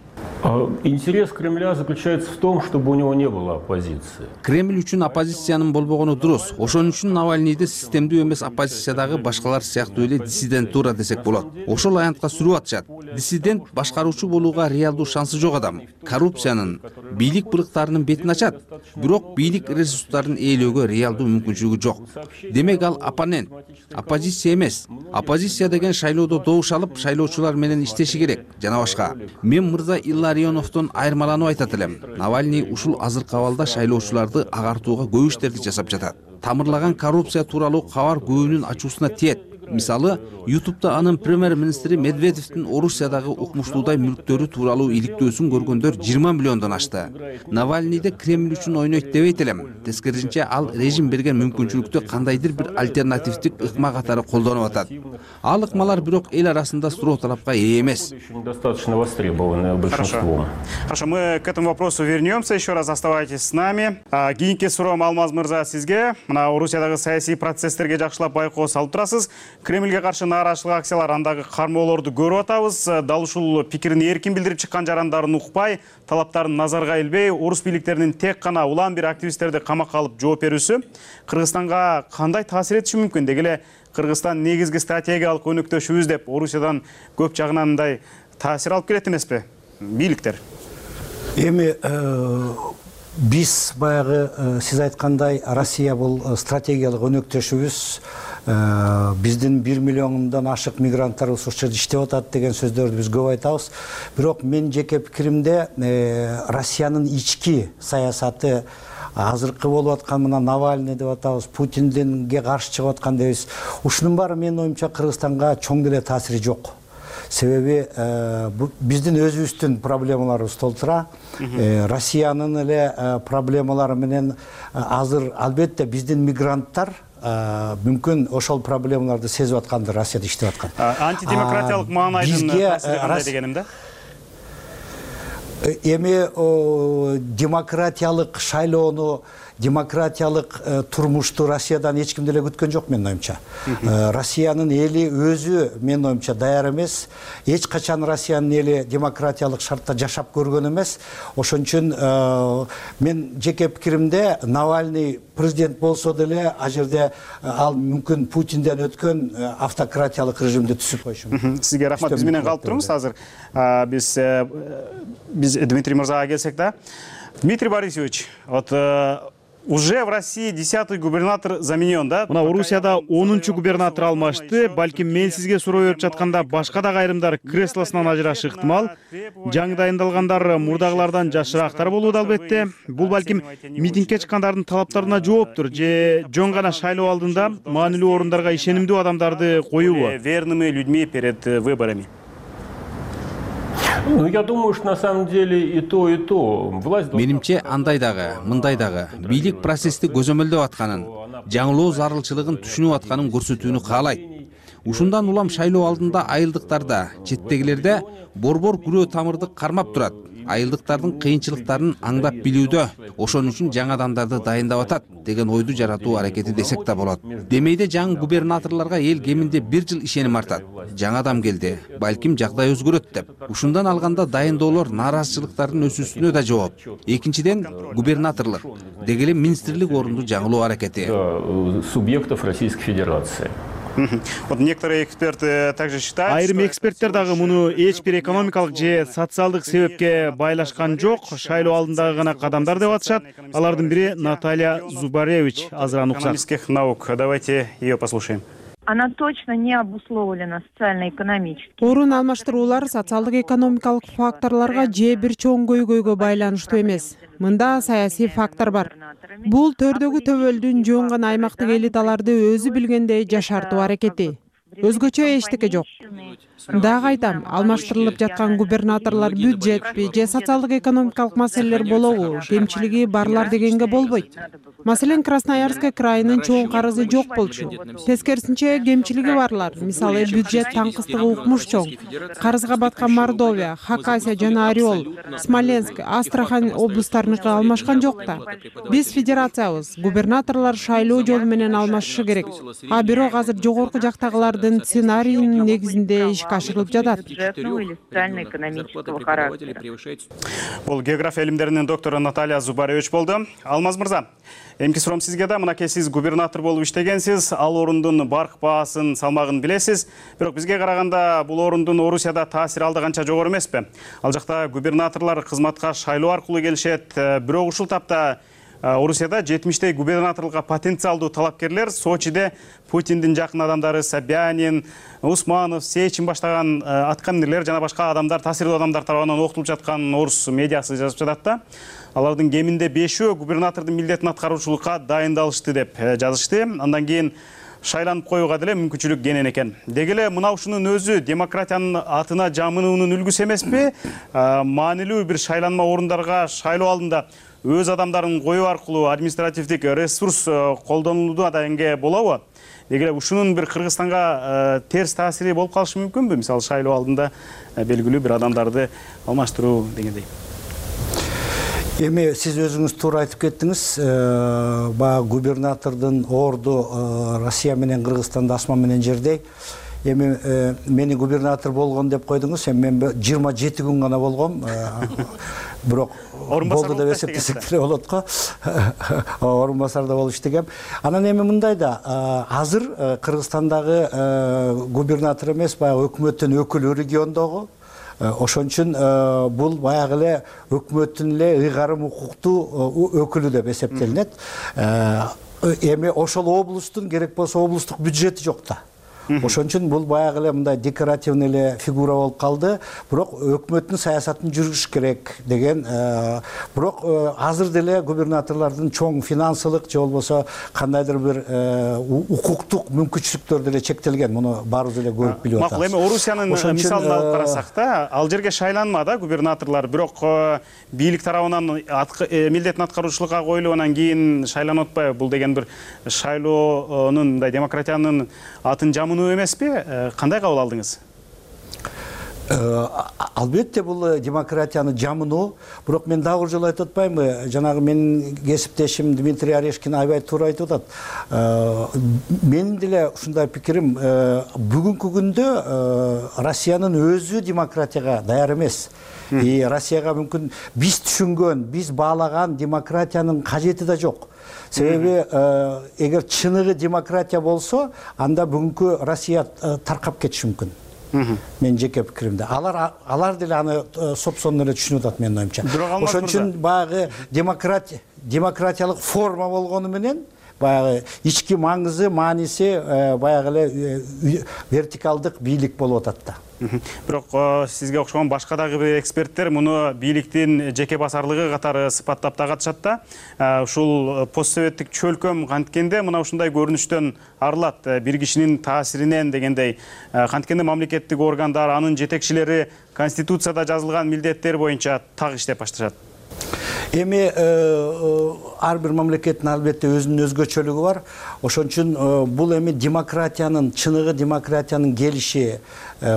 [SPEAKER 10] Интерес Кремля заключается в том, чтобы у него не было оппозиции.
[SPEAKER 5] Кремль үчүн оппозициянын болбогону дурус. Ошон үчүн Навальныйды системдүү эмес оппозициядагы башкалар сыяктуу эле диссидентура десек болот. Ошол аянтка сүрүп атышат. Диссидент башкаруучу болууга реалдуу шансы жок адам. Коррупциянын, бийлик былыктарынын бетин ачат. Бирок бийлик ресурстарын ээлөөгө реалдуу мүмкүнчүлүгү жок. Демек ал оппонент, оппозиция эмес. Оппозиция деген шайлоодо добуш алып, шайлоочулар менен иштеши керек жана башка. Мен мырза Илларионовдон айырмаланып айтат элем. Навальный ушул азыркы абалда шайлоочуларды агартууга көп иштерди жасап жатат. Тамырлаган коррупция тууралуу кабар көбүнүн ачуусуна тиет. Мисалы, YouTube'да анын премьер-министри Медведевдин Орусиядагы укмуштуудай мүлктөрү тууралуу иликтөөсүн көргөндөр 20 миллиондон ашты. Навальныйды Кремль үчүн ойнойт дебейт элем. Тескерисинче ал режим берген мүмкүнчүлүктү кандайдыр бир альтернативдик ыкма катары колдонуп атат. Ал ыкмалар бирок эл арасында суроо талапка ээ эмес.
[SPEAKER 10] Достаточно востребованное большинством.
[SPEAKER 7] Хорошо, мы к этому вопросу вернемся. Еще раз оставайтесь с нами. Кийинки суроом Алмаз мырза сизге. Мына Орусиядагы саясий процесстерге жакшылап байкоо салып турасыз. Кремльге каршы нааразычылык акциялар андагы кармоолорду көрүп атабыз. Дал ушул пикирин эркин билдирип чыккан жарандарын укпай, талаптарын назарга илбей, орус бийликтеринин тек гана улам бир активисттерди камакка алып жооп берүүсү Кыргызстанга кандай таасир этиши мүмкүн? Деги эле Кыргызстан негизги стратегиялык өнөктөшүбүз деп Орусиядан көп жагынан мындай таасир алып келет эмеспи бийликтер?
[SPEAKER 15] Эми биз баягы сиз айткандай Россия бул стратегиялык өнөктөшүбүз. биздин 1 миллиондон ашык мигранттарыбыз ошол жерде иштеп атат деген сөздөрдү биз көп айтабыз. Бирок мен жеке пикиримде Россиянын ички саясаты азыркы болуп аткан мына Навальный деп атабыз, Путинденге каршы чыгып аткан дейбиз. Ушунун баары менин оюмча Кыргызстанга чоң деле таасири жок. Себеби биздин өзүбүздүн проблемаларыбыз толтура. Россиянын эле проблемалары менен азыр албетте биздин мигранттар мүмкүн ошол проблемаларды сезип аткандыр, Россияда иштеп аткан.
[SPEAKER 7] Антидемократиялык маанайдын таасири кандай дегеним да?
[SPEAKER 15] Эми демократиялык шайлоону, демократиялык турмушту Россиядан эч ким деле күткөн жок менин оюмча. Россиянын эли өзү менин оюмча даяр эмес. Эч качан Россиянын эли демократиялык шартта жашап көргөн эмес. Ошон үчүн мен жеке пикиримде Навальный президент болсо деле ал жерде ал мүмкүн Путинден өткөн автократиялык режимди түзүп койушу мүмкүн.
[SPEAKER 7] Сизге рахмат. Биз менен калып туруңуз азыр. Биз Дмитрий мырзага келсек да. Дмитрий Борисович, вот уже в России 10-й губернатор заменен, да? Мына Орусияда 10-чу губернатор алмашты. Балким мен сизге суроо берип жатканда башка да айрымдар креслосунан ажырашы ыктымал. Жаңы дайындалгандар мурдагылардан жашыраактар болууда албетте. Бул балким митингге чыккандардын талаптарына жооптур же жөн гана шайлоо алдында маанилүү орундарга ишенимдүү адамдарды коюубу? Верными людьми перед выборами.
[SPEAKER 10] Ну, я думаю, что на самом деле и то, и то.
[SPEAKER 5] Менимче андай дагы, мындай дагы бийлик процессти көзөмөлдөп атканын, жаңылоо зарылчылыгын түшүнүп атканын көрсөтүүнү каалайт. Ушундан улам шайлоо алдында айылдыктарда, четтегилерде борбор күрөө тамырды кармап турат. Айылдыктардын кыйынчылыктарын аңдап билүүдө, ошон үчүн жаңы адамдарды дайындап атат деген ойду жаратуу аракети десек да болот. Демейде жаңы губернаторлорго эл кеминде 1 жыл ишеним артат. Жаңы адам келди, балким жагдай өзгөрөт деп. Ушундан алганда дайындоолор нааразычылыктардын өсүүсүнө да жооп. Экинчиден губернаторлук, деги эле министрлик орунду жаңылоо аракети.
[SPEAKER 10] Субъектов Российской Федерации.
[SPEAKER 7] Вот некоторые эксперты также считают, айрым эксперттер дагы муну эч бир экономикалык же социалдык себепке байлашкан жок, шайлоо алдындагы гана кадамдар деп атышат. Алардын бири Наталья Зубаревич, азыр экономических наук. Давайте ее послушаем.
[SPEAKER 20] Она точно не обусловлена социально-экономически.
[SPEAKER 21] Орун алмаштыруулар социалдык экономикалык факторлорго же бир чоң көйгөйгө байланыштуу эмес. Мында саясий фактор бар. Бул төрдөгү төбөлдүн жөн гана аймактык элиталарды өзү билгендей жашартуу аракети. Өзгөчө эчтеке жок. Дагы айтам, алмаштырылып жаткан губернаторлор бюджетпи же социалдык экономикалык маселелер болобу, кемчилиги барлар дегенге болбойт. Маселен, Красноярский крайынын чоң карызы жок болчу. Тескерисинче кемчилиги барлар, мисалы бюджет таңкыстыгы укмуш чоң. Карызга баткан Мордовия, Хакасия жана Орел, Смоленск, Астрахань облустарыныкы алмашкан жок да. Биз федерациябыз, губернаторлор шайлоо жолу менен алмашышы керек. А бирок азыр жогорку жактагылардын сценарийинин негизинде ишке ашырылып жатат.
[SPEAKER 7] Бул география илимдеринин доктору Наталья Зубаревич болду. Алмаз мырза, эмки суроом сизге да, мынакей сиз губернатор болуп иштегенсиз, ал орундун барк баасын, салмагын билесиз. Бирок бизге караганда бул орундун Орусияда таасири алда канча жогору эмеспи? Ал жакта губернаторлор кызматка шайлоо аркылуу келишет. Бирок ушул тапта Орусияда 70-тей губернаторлукка потенциалдуу талапкерлер Сочиде Путиндин жакын адамдары Собянин, Усманов, Сечин баштаган аткаминерлер жана башка адамдар, таасирдүү адамдар тарабынан окутулуп жаткан орус медиасы жазып жатат да. Алардын кеминде 5-өө губернатордун милдетин аткаруучулукка дайындалышты деп жазышты. Андан кийин шайланып коюуга деле мүмкүнчүлүк кенен экен. Деги эле мына ушунун өзү демократиянын атына жамынуунун үлгүсү эмеспи? Маанилүү бир шайланма орундарга шайлоо алдында өз адамдарын коюу аркылуу административдик ресурс колдонулууда дегенге болобу? Деги эле ушунун бир Кыргызстанга терс таасири болуп калышы мүмкүнбү? Мисалы шайлоо алдында белгилүү бир адамдарды алмаштыруу дегендей.
[SPEAKER 15] Эми сиз өзүңүз туура айтып кеттиңиз. Баягы губернатордун орду Россия менен Кыргызстанда асман менен жердей. Эми мени губернатор болгон деп койдуңуз. Эми мен 27 күн гана болгом. Бирок болду деп эсептесек деле болот го. Орун басарда болуп иштегем. Анан эми мындай да, азыр Кыргызстандагы губернатор эмес, баягы өкмөттүн өкүлү региондогу. Ошон үчүн бул баягы эле өкмөттүн эле ыйгарым укуктуу өкүлү деп эсептелинет. эми ошол облустун керек болсо облустук бюджети жок да. Ошон үчүн бул баягы эле мындай декоративный эле фигура болуп калды. Бирок өкмөттүн саясатын жүргүзүш керек деген. Бирок азыр деле губернаторлордун чоң финансылык же болбосо кандайдыр бир укуктук мүмкүнчүлүктөр деле чектелген. Муну баарыбыз эле көрүп билип атабыз.
[SPEAKER 7] Макул, эми Орусиянын мисалын алып карасак да, ал жерге шайланмады губернаторлор, бирок бийлик тарабынан милдетин аткаруучулукка коюлуп анан кийин шайланып атпайбы? Бул деген бир шайлоонун, мындай демократиянын атын жамынуу эмеспи? Кандай кабыл алдыңыз?
[SPEAKER 15] Албетте бул демократияны жамынуу, бирок мен дагы бир жолу айтып атпаймынбы? Жанагы менин кесиптешим Дмитрий Орешкин аябай туура айтып атат. Менин деле ушундай пикирим, бүгүнкү күндө Россиянын өзү демократияга даяр эмес. Россияга мүмкүн биз түшүнгөн, биз баалаган демократиянын кажети да жок. Себеби эгер чыныгы демократия болсо, анда бүгүнкү Россия таркап кетиши мүмкүн. Мен жеке пикиримде. Алар деле аны сопсонун эле түшүнүп атат менин оюмча. Ошон үчүн баягы демократиялык форма болгону менен баягы ички маңызы, мааниси баягы эле вертикалдык бийлик болуп атат да.
[SPEAKER 7] Бирок сизге окшогон башка дагы бир эксперттер муну бийликтин жеке басарлыгы катары сыпаттап да катышат да. Ушул постсоветтик чөлкөм канткенде мына ушундай көрүнүштөн арылат. Бир кишинин таасиринен дегендей, канткенде мамлекеттик органдар, анын жетекчилери Конституцияда жазылган милдеттер боюнча так иштеп башташат.
[SPEAKER 15] Эми ар бир мамлекеттин албетте өзүнүн өзгөчөлүгү бар. Ошон үчүн бул эми демократиянын, чыныгы демократиянын келиши,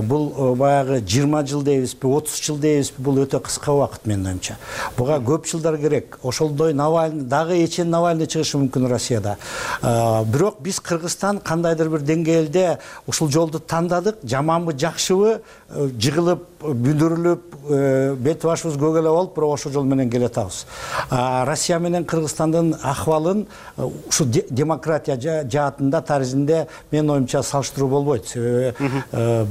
[SPEAKER 15] бул баягы 20 жыл дейбизби, 30 жыл дейбизби, бул өтө кыска убакыт менин оюмча. Буга көп жылдар керек. Ошолдой Навальный, дагы эчен Навальный чыгышы мүмкүн Россияда. Бирок биз Кыргызстан кандайдыр бир деңгээлде ушул жолду тандадык, жаманбы, жакшыбы, жыгылып, бүдүрүлүп, бет башыбыз көгөлө болуп, бирок ошол жол менен келе атабыз. Россия менен Кыргызстандын акыбалын ушу демократия жаатында, таризинде менин оюмча салыштыруу болбойт. Себеби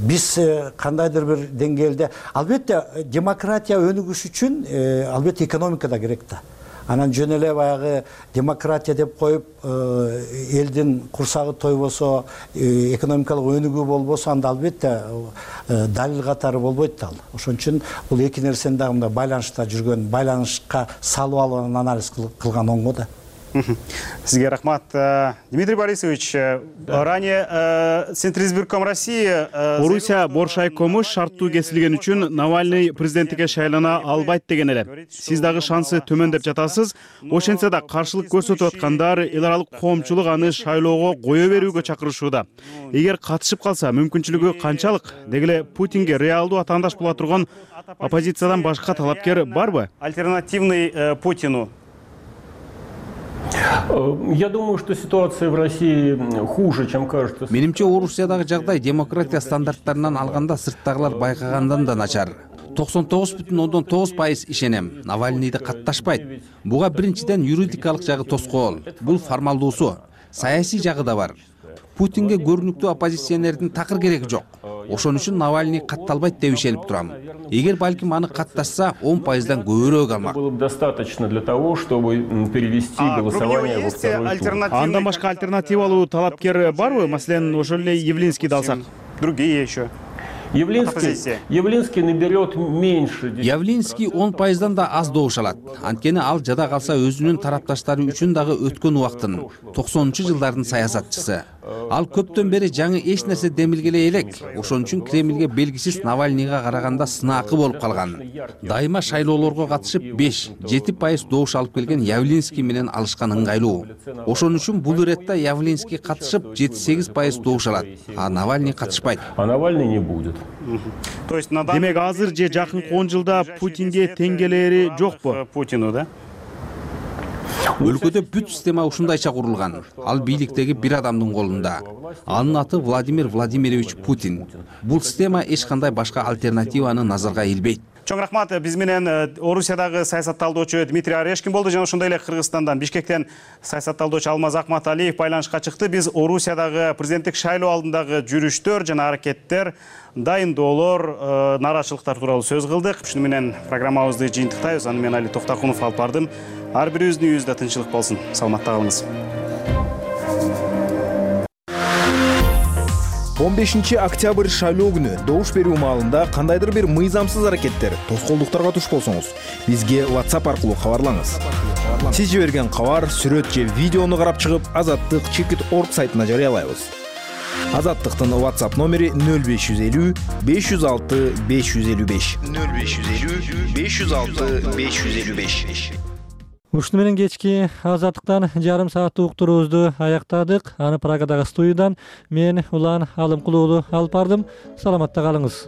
[SPEAKER 15] биз кандайдыр бир деңгээлде, албетте демократия өнүгүш үчүн албетте экономика да керек да. Анан жөн эле баягы демократия деп коюп, элдин курсагы тойбосо, экономикалык өнүгүү болбосо, анда албетте далил катары болбойт да. Ошон үчүн бул эки нерсени дагы мындай байланышта жүргөн, байланышка салып алып анализ кылган оңго да.
[SPEAKER 7] Сизге рахмат. Дмитрий Борисович, ранее Центризбирком России Орусия боршайкому шарттуу кесилген үчүн Навальный президенттикке шайлана албайт деген эле. Сиз дагы шансы төмөн деп жатасыз. Ошентсе да каршылык көрсөтүп аткандар эл аралык коомчулук аны шайлоого кое берүүгө чакырышууда. Эгер катышып калса, мүмкүнчүлүгү канчалык? Деги эле Путинге реалдуу атаандаш боло турган оппозициядан башка талапкер барбы? Альтернативный Путину.
[SPEAKER 10] Я думаю, что ситуация в России хуже, чем кажется.
[SPEAKER 5] Менимче Орусиядагы жагдай демократия стандарттарынан алганда сырттагылар байкагандан да начар. 99,9% ишенем. Навальныйды катташпайт. Буга биринчиден юридикалык жагы тоскоол. Бул формалдуусу. Саясий жагы да бар. Путинге көрүнүктүү оппозиционердин такыр кереги жок. Ошон үчүн Навальный катталбайт деп ишенип турам. Эгер балким аны катташса, 10%дан көбүрөөк алмак.
[SPEAKER 10] Было бы достаточно для того, чтобы перевести голосование во второй тур.
[SPEAKER 7] Андан башка альтернативалуу талапкер барбы? Маселен, ошол эле Явлинскийди алсак. Другие еще.
[SPEAKER 10] Явлинский наберет меньше.
[SPEAKER 5] Явлинский 10%дан да аз добуш алат. Анткени ал жада калса өзүнүн тарапташтары үчүн дагы өткөн убактын 90-жылдардын саясатчысы. Ал көптөн бери жаңы эч нерсе демилгелей элек. Ошон үчүн Кремльге белгисиз Навальныйга караганда сынаакы болуп калган. Дайыма шайлоолорго катышып 5-7% добуш алып келген Явлинский менен алышкан ыңгайлуу. Ошон үчүн бул иретте Явлинский катышып 7-8% добуш алат, а Навальный катышпайт.
[SPEAKER 10] А Навальный не будет.
[SPEAKER 7] То есть демек азыр же жакынкы 10 жылда Путинге тең келери жокпу Путину, да?
[SPEAKER 5] Өлкөдө бүт система ушундайча курулган. Ал бийликтеги бир адамдын колунда. Анын аты Владимир Владимирович Путин. Бул система эч кандай башка альтернативаны назарга илбейт.
[SPEAKER 7] Чоң рахмат. Биз менен Орусиядагы саясатталдоочу Дмитрий Орешкин болду жана ошондой эле Кыргызстандан, Бишкектен саясатталдоочу Алмаз Акматалиев байланышка чыкты. Биз Орусиядагы президенттик шайлоо алдындагы жүрүштөр жана аракеттер, дайындоолор, нааразычылыктар тууралуу сөз кылдык. Ушуну менен программабызды жыйынтыктайбыз. Аны мен Али Токтакунов алып бардым. Ар бирибиздин үйүбүздө тынччылык болсун. Саламатта калыңыз.
[SPEAKER 11] 15 октябрь шайлоо күнү добуш берүү маалында кандайдыр бир мыйзамсыз аракеттер, тоскоолдуктарга туш болсоңуз, бизге WhatsApp аркылуу кабарлаңыз. Сиз жиберген кабар, сүрөт же видеону карап чыгып, Азаттык Чекит.org сайтына жарыялайбыз. Азаттыктын WhatsApp номери 0550 506 555. 0550 506 555.
[SPEAKER 1] Ушуну менен кечки Азаттыктан жарым сааттык уктуруубузду аяктадык. Аны Прагадагы студиядан мен Улан Алымкулуулу алып бардым. Саламатта калыңыз.